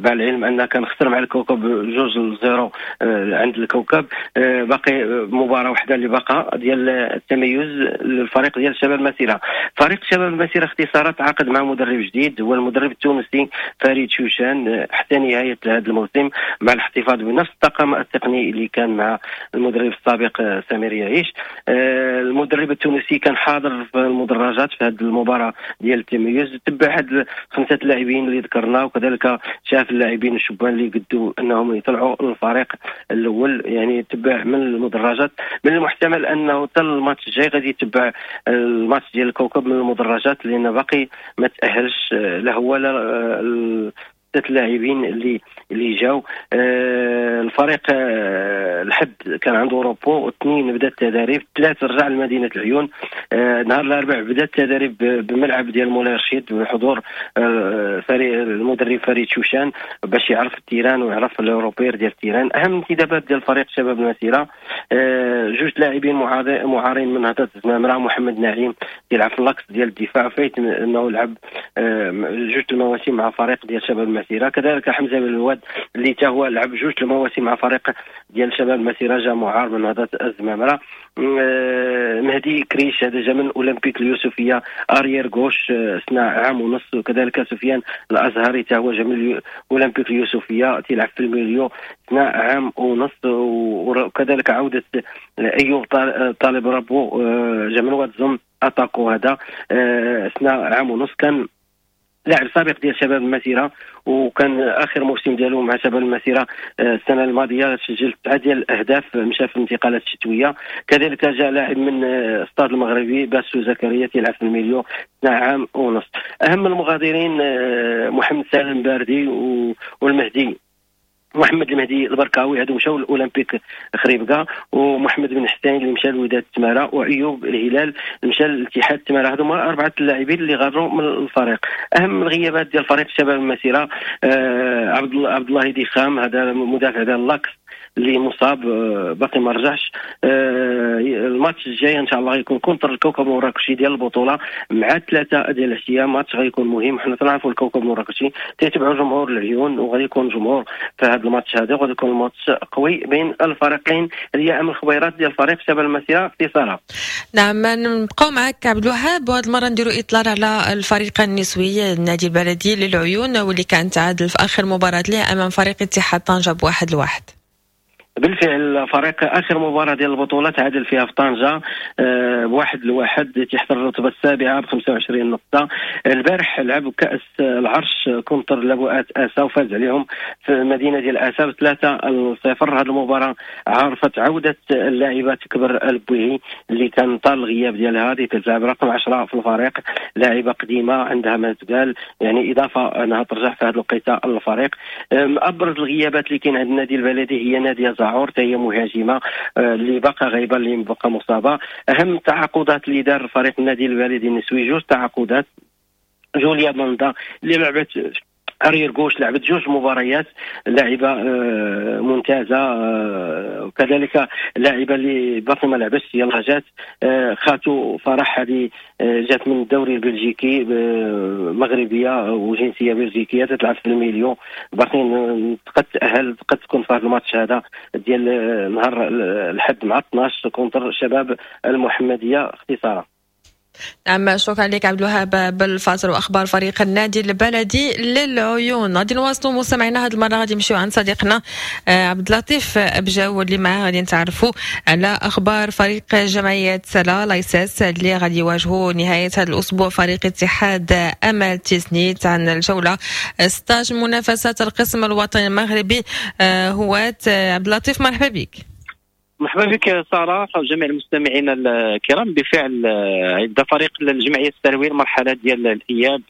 مع العلم أن كان خسر مع الكوكب جوج ل zéro عند الكوكب. باقي مباراة واحدة اللي بقى ديال التميز للفريق ديال شباب المسيرة. فريق شباب المسيرة اختصارات تعاقد مع مدرب جديد هو المدرب التونسي فريد شوشان حتى نهاية هذا الموسم، مع الاحتفاظ بنفس الطاقم التقني اللي كان مع المدرب السابق سمير يعيش. المدرب التونسي كان حاضر في المدرجات في هذه المباراة ديال التميز، تبع هاد خمسة اللاعبين اللي ذكرنا، وكذلك شاف اللاعبين الشبان اللي قدوا انهم يطلعوا للفريق الاول، يعني تبع من المدرجات. من المحتمل انه حتى الماتش الجاي غادي يتبع الماتش ديال الكوكب من المدرجات، لان باقي ما تاهلش لا هو لا ستة اللاعبين اللي اللي جاو. آه الفريق آه الحد كان عنده repos، اثنين بدا التدريب، ثلاثة رجع لمدينة العيون. آه نهار الاربعاء بدا التدريب بملعب ديال مولاي رشيد بحضور آه فريق المدرب فريد شوشان باش يعرف ال terrain ويعرف les repères ديال ال terrain. اهم انتدابات ديال فريق شباب المسيرة آه جوج لاعبين معارين من نهضة الزمامره، محمد نعيم يلعب في l'axe ديال الدفاع فايت انه لعب آه جوج المواسم مع فريق ديال شباب المسيرة، كذلك حمزة بالواد اللي تا هو لعب جوج المواسم مع فريق ديال شباب المسيرة جا معار من نهضة الزمامره. مهدي كريش هذا جا من اولمبيك اليوسفيه arrière gauche سنة عام ونص، وكذلك سفيان الازهري تا هو جا من اولمبيك اليوسفيه تيلعب في ال milieu سنة عام ونص، وكذلك عوده ايوب طالب ربو جا من واد زم attaquant هذا سنة عام ونص. كان لاعب سابق ديال شباب المسيرة، وكان اخر موسم ديالو مع شباب المسيرة السنة الماضية، سجل تسعة ديال الاهداف، مشى في الانتقالات الشتوية. كذلك جاء لاعب من استاد المغربي باسو زكريا تيلعب في ال milieu عام ونص. اهم المغادرين محمد سالم باردي والمهدي محمد المهدي البركاوي، هادو مشاو للاولمبيك خريبكا، ومحمد بن حسين اللي مشى لوداد التماره، وايوب الهلال مشى لاتحاد التماره. هادو هما اربعة اللاعبين اللي غادروا من الفريق. اهم الغيابات ديال فريق شباب المسيرة آه عبد عبد الله ديخام، هذا مدافع ديال l'axe اللي مصاب باقي ما رجعش. الماتش الجاي ان شاء الله غيكون contre الكوكب المراكشي ديال البطولة مع ثلاثة ديال العشية، ماتش غيكون مهم. حنا تنعرفوا الكوكب المراكشي تيتبعوا جمهور العيون، وغادي يكون جمهور في هذا الماتش هذا، وغادي يكون الماتش قوي بين الفريقين. هي اهم الخبيرات ديال فريق شباب المسيرة في صالة. نعم، نبقاو معك عبد الوهاب، وهذه المرة نديروا اطلال على الفريق النسوي النادي البلدي للعيون، واللي كان تعادل في اخر مباراة له امام فريق اتحاد طنجه بواحد لواحد. بالفعل فريق اخر مباراة ديال البطولة تعادل فيها في طنجه بواحد لواحد، تحت الرتبة السابعة ب خمسة وعشرين نقطة. البارح لعب كاس العرش contre لبؤات اسا وفاز عليهم في المدينة ديال اسا بثلاثة لصفر. هذه المباراة عرفت عوده اللاعبه تكبر البويهي اللي كان طال الغياب ديالها، هذه تلعب رقم عشرة في الفريق، لاعبه قديمة عندها ما تقال، يعني اضافه انها ترجع في هذه الوقيته للفريق. ابرز الغيابات اللي كاين عند النادي البلدي هي ناديه زعور، هي مهاجمه اللي باقا غايبة، اللي باقا مصابه. اهم التعاقدات اللي دار فريق النادي البلدي النسوي جوج تعاقدات، جوليا باندا اللي لعبت arrière gauche، لعبت جوج مباريات، لاعبه ممتازة، وكذلك لاعبه اللي باقي ما لعبتش يلاه جات خاتو فرح، هذه جات من الدوري البلجيكي، مغربية وجنسيه بلجيكيه، تلعب في ال milieu، باقي قد تاهل، قد تكون في هذا الماتش هذا ديال نهار الحد مع اثناش contre شباب المحمدية اختصارا. نعم، شكرا لك عبد الوهاب بالفاصل واخبار فريق النادي البلدي للعيون. غادي نواصلوا مستمعينا، هذه المرة غادي نمشيو عند صديقنا عبد اللطيف بجاو اللي معاه غادي نتعرفوا على اخبار فريق جمعية سلا لايساس اللي غادي يواجهوا نهاية هذا الاسبوع فريق اتحاد امل تيسنيت عن الجولة ستة عشر منافسات القسم الوطني المغربي هواة. عبد اللطيف مرحبا بك. مرحبا بك ساره وجميع المستمعين الكرام. بالفعل عند فريق الجمعية السلويه المرحلة ديال الاياب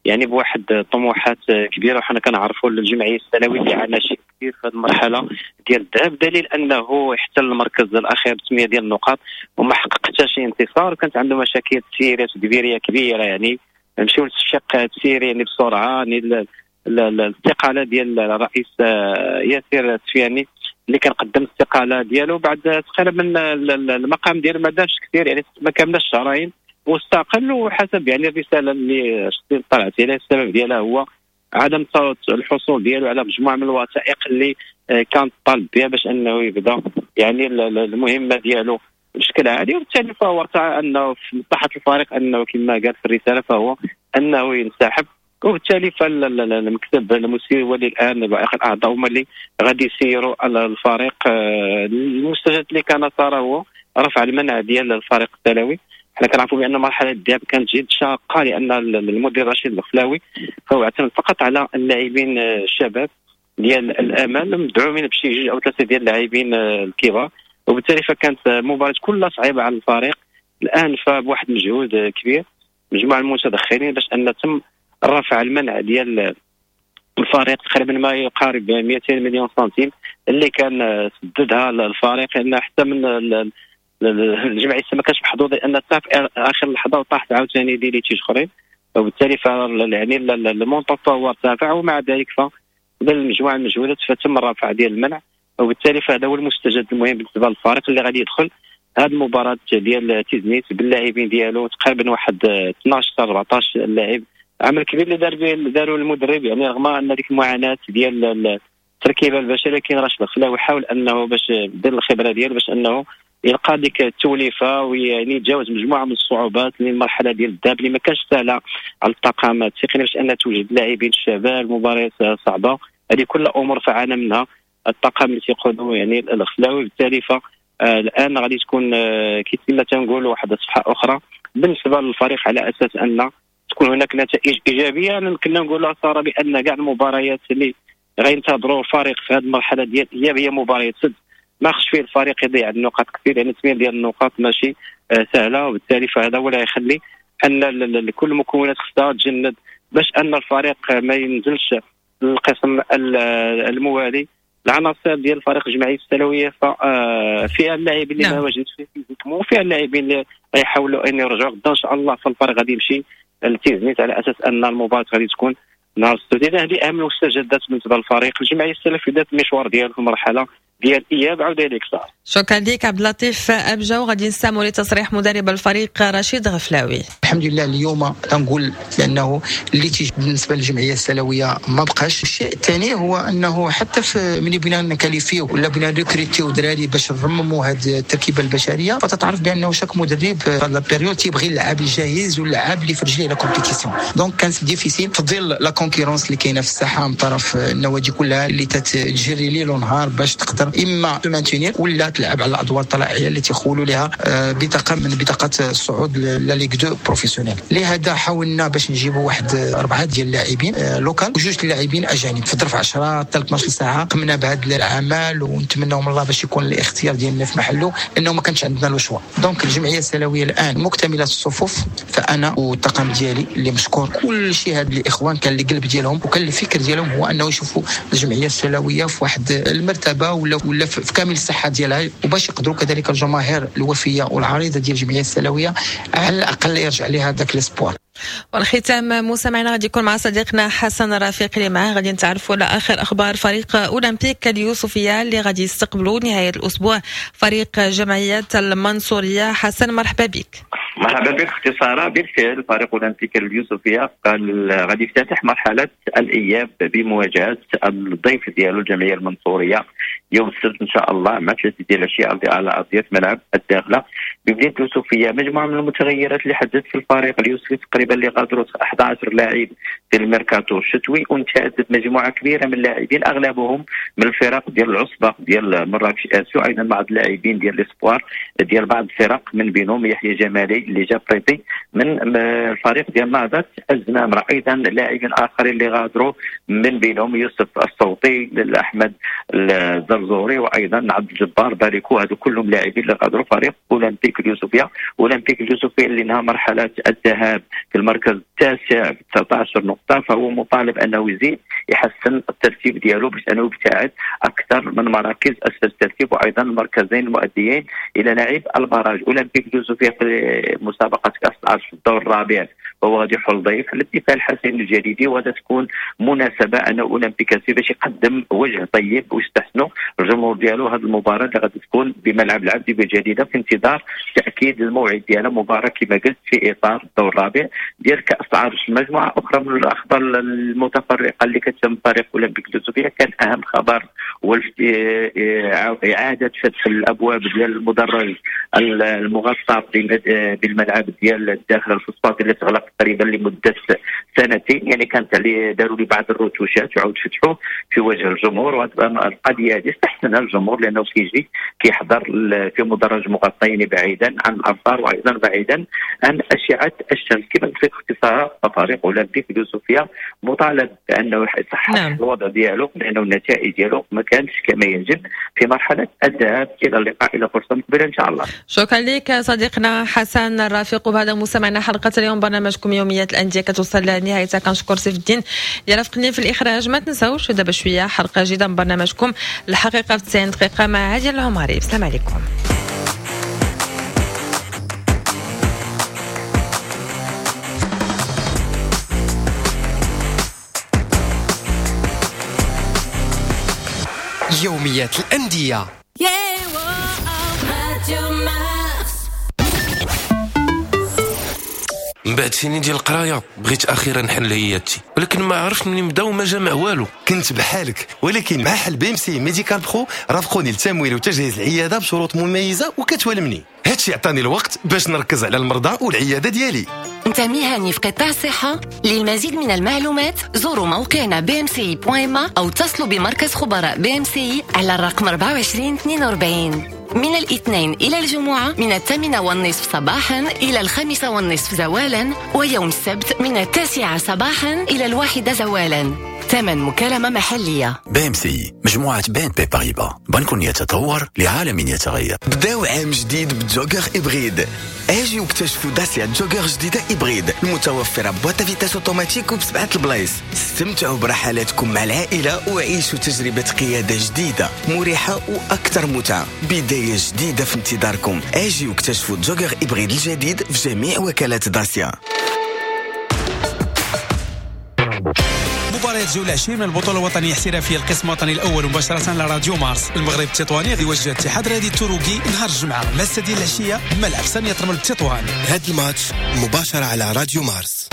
يعني بواحد طموحات كبيرة، وحنا كنعرفوا الجمعية السلويه اللي عانى شيء كثير في هذه المرحلة ديال الذهاب، دليل انه احتل المركز الاخير بثمانية ديال النقاط وما حقق حتى شي انتصار، وكانت عنده مشاكل تسييريه وتدبيريه كبيرة، يعني نمشيو للشق التسييري يعني بسرعة، يعني الاستقالة ديال الرئيس ياسر السفياني اللي كان قدم الاستقالة ديالو بعد تقريبا من المقام ديالو ما دارش كثير، يعني ما كملش شهرين واستقل. وحسب يعني الرسالة اللي طلعت عليها السبب ديالها هو عدم الحصول ديالو على مجموعة من الوثائق اللي كان طالب بها باش انه يبدا يعني المهمة ديالو بشكل عادي، وبالتالي فهو ارتأى انه في مصلحة الفريق انه كما قال في الرسالة فهو انه ينسحب، وبالتالي فالمكتب المسير هو اللي الان باقي الاعضاء هما اللي غادي يسيروا الفريق. المستجد اللي كان صار هو رفع المنع ديال الفريق الثانوي. حنا كنعرفوا بان مرحلة الذهاب كانت جد شاقه، لان المدير رشيد الخلاوي فهو اعتمد فقط على اللاعبين الشباب ديال الامل مدعومين بشي جوج او ثلاثة ديال اللاعبين الكبار، وبالتالي فكانت المباراة كلها صعيبة على الفريق. الان فبواحد المجهود كبير مجموعة المتدخلين باش ان تم رفع المنع ديال الفريق تقريبا ما يقارب مئتين مليون سنتيم اللي كان سددها الفريق، لان حتى من الجمعية ما كانش محظوظ لان حتى في اخر لحظة وطاحت عاوتاني des litiges اخرين، وبالتالي ف يعني ال montant فهو ارتفع، ومع ذلك فبالمجموعه المجهودات فتم الرفع ديال المنع، وبالتالي فهذا هو المستجد المهم بالنسبة للفريق اللي غادي يدخل هذه المباراة ديال تيزنيت باللاعبين ديالو تقريبا واحد اثناش حتى أربعطاش لاعب. عمل كبير اللي دار به داروا المدرب، يعني رغم ان ديك المعاناة ديال التركيبة البشرية، لكن راشد الخلاوي حاول انه باش دير الخبرة ديالو باش انه يلقى ديك التوليفه ويعني يتجاوز مجموعة من الصعوبات للمرحلة ديال الذهاب اللي ما كانش سهلة على الطاقم التقني باش ان توجد لاعبين الشباب، مباريات صعبة، هذه كلها امور فعانى منها الطاقم اللي تيقودوا يعني الخلاوي. بالتالي فالان غادي تكون كما تنقولوا واحد الصفحة اخرى بالنسبة للفريق على اساس ان تكون هناك نتائج ايجابية. انا كنا نقولها ساره بان كاع المباريات اللي غينتظروا الفريق في هذه المرحلة ديال الاياب هي مباريات سد، ما خصش فيه الفريق يضيع النقاط كثير، لان ثمانية ديال النقاط ماشي سهلة، وبالتالي فهذا هو اللي يخلي ان كل المكونات خصها تجند باش ان الفريق ما ينزلش للقسم الموالي. العناصر ديال الفريق الجمعية السلويه فيها اللاعبين اللي ما واجدش فيه physiquement، وفيها اللاعبين اللي غيحاولوا ان يرجعوا غدا ان شاء الله. فالفريق غادي يمشي لتيزنيت على اساس ان المباراة غادي تكون نهار السبت. هذه اهم المستجدات بالنسبة للفريق الجمعية السلفية بدات المشوار ديالو في المرحلة ديال الاياب. عاود لك صار. شكرا لك عبد اللطيف ابجا، وغادي نستمعوا لتصريح مدرب الفريق رشيد غفلاوي. الحمد لله اليوم تنقول بانه اللي تيجي بالنسبة للجمعية السلويه ما بقاش. الشيء الثاني هو انه حتى في ملي بغينا نكاليفيو ولا بغينا ريكريتيو دراري باش نرمموا هذه التركيبة البشرية، فتتعرف بانه chaque مدرب في هذا la période تيبغي اللاعب الجاهز واللاعب اللي في رجليه la compétition. donc كانت difficile في ظل la concurrence اللي كاينه في الساحة من طرف النوادي كلها اللي تتجري ليل ونهار باش تقدر اما maintenir ولا تلعب على الادوار الطلائعيه اللي تيخولوا لها بطاقة من بطاقات الصعود la Ligue deux professionnelle. لهذا حاولنا باش نجيبوا واحد اربعة ديال اللاعبين locaux وجوج اللاعبين اجانب في ظرف عشرة حتى اثنا عشر ساعة. قمنا بهذا العمل ونتمنوا من الله باش يكون الاختيار ديالنا في محله، لانه ما كانش عندنا le choix. donc الجمعية السلويه الان مكتملة الصفوف، فانا والطاقم ديالي اللي مشكور كل شيء هاد الاخوان كان القلب ديالهم وكان الفكر ديالهم هو انه يشوفوا الجمعية السلويه في واحد المرتبة ولا ولا في كامل الصحة ديالها، وباش يقدروا كذلك الجماهير الوفيه والعريضه ديال الجمعية السلويه على الاقل يرجع لها ذاك l'espoir. والختام مستمعينا غادي يكون مع صديقنا حسن رفيق اللي معاه غادي نتعرفوا على اخر اخبار فريق اولمبيك اليوسفيه اللي غادي يستقبلوا نهاية الاسبوع فريق جمعية المنصوريه. حسن مرحبا بك. مرحبا بك اختي ساره. بالفعل فريق اولمبيك اليوسفيه قال غادي يفتتح مرحلة الاياب بمواجهة الضيف ديالو الجمعية المنصوريه يوم السبت ان شاء الله مع ثلاثة ديال العشية على ارضية ملعب الداخلة بمدينة اليوسفيه. مجموعة من المتغيرات اللي حدثت في الفريق اليوسفي تقريبا اللي غادروا أحد عشر لاعب في الميركاتو الشتوي، وانتهت مجموعة كبيرة من اللاعبين اغلبهم من الفرق ديال العصبة ديال مراكش اسيو، ايضا بعض اللاعبين ديال l'espoir ديال بعض الفرق من بينهم يحيى جمالي اللي جا prêté من الفريق ديال نهضة الزمامره، ايضا لاعبين اخرين اللي غادروا من بينهم يوسف الصوتي، احمد الزرزوري، وايضا عبد الجبار باريكو. هذو كلهم لاعبين اللي غادروا فريق اولمبيك اليوسفيه. اولمبيك اليوسفيه اللي انهى مرحلة الذهاب في المركز التاسع ب تسعة عشر نقطة، فهو مطالب انه يزيد يحسن الترتيب ديالو باش انه يبتعد اكثر من مراكز اسفل الترتيب وايضا المركزين المؤديين الى لعب ال barrage. اولمبيك اليوسفيه في مسابقة كاس العرش في الدور الرابع وهو غادي يحل ضيف على الدفاع الحسن الجديدي، وهذا تكون مناسبة ان اولمبيك اسفي باش يقدم وجه طيب ويستحسنوا الجمهور ديالو هذه المباراة اللي غادي تكون بملعب العبد بالجديده في انتظار تاكيد الموعد ديالها. مباراة كما قلت في اطار الدور الرابع ديال كاس العرش. مجموعة اخرى من الاخبار المتفرقة اللي كتم فريق اولمبيك اليوسفيه، كان اهم خبر هو اعاده فتح الابواب ديال المدرج المغطى بالملعب ديال الداخل الفوسفات اللي تغلق تقريبا لمدة سنتين، يعني كانت عليه داروا لي بعض الروتوشات وعاود فتحوه في وجه الجمهور. وهذه القضية هذه استحسنها الجمهور لانه كيجي كيحضر في مدرج مغطى يعني بعيدا عن الامطار وايضا بعيدا عن اشعه الشمس. كما قلت لك اختصارا فريق اولمبيك اليوسفيه مطالب بانه يصحح نعم. الوضع ديالو لانه النتائج ديالو ما كانتش كما يجب في مرحلة الذهاب الى اللقاء الى فرصة مقبله ان شاء الله. شكرا لك صديقنا حسن الرفيق. وبهذا مستمعنا حلقة اليوم برنامجكم يوميات الاندية كتوصل لنهايتها. كنشكر سيف الدين اللي رافقني في الاخراج. ما تنساوش دابا شوية حلقة جديدة من برنامجكم الحقيقة في تسعين دقيقة مع عادل العمري. السلام عليكم. يوميات الأندية. من بعد سنين ديال القراية بغيت اخيرا نحل عيادتي، ولكن ما عرفت منين نبدا وما جامع والو. كنت بحالك، ولكن مع حل BMCI Médical Pro رافقوني للتمويل وتجهيز العيادة بشروط مميزة وكتوالمني. هادشي عطاني الوقت باش نركز على المرضى والعياده ديالي. انت مهني في قطاع الصحة؟ للمزيد من المعلومات زوروا موقعنا بي ام سي دوت إم إيه او اتصلوا بمركز خبراء بي ام سي على الرقم أربعة وعشرين اثنين وأربعين. من الاثنين إلى الجمعة من الثامنة والنصف صباحا إلى الخامسة والنصف زوالا، ويوم السبت من التاسعة صباحا إلى الواحدة زوالا. ثمن مكالمة محلية. BMCI، مجموعة BNP Paribas، بنك يتطور لعالم يتغير. بداو عام جديد ب Jogger hybride. اجيو اكتشفوا Dacia Jogger جديدة hybride المتوفرة boîte à vitesses automatique وبسبعة البلايص. استمتعوا برحلاتكم مع العائلة وعيشوا تجربة قيادة جديدة مريحة وأكثر متعة. بداية جديدة في انتظاركم. اجيو اكتشفوا Jogger hybride الجديد في جميع وكالات داسيا. مباريات جولة عشرين من البطولة الوطنية الاحترافية القسم الوطني الأول مباشرة على راديو مارس. المغرب التطواني غادي يواجه اتحاد رياضي التروكي نهار الجمعة مع السادسة ديال العشية بملعب سانية رمل بتطوان. هذا الماتش مباشرة على راديو مارس.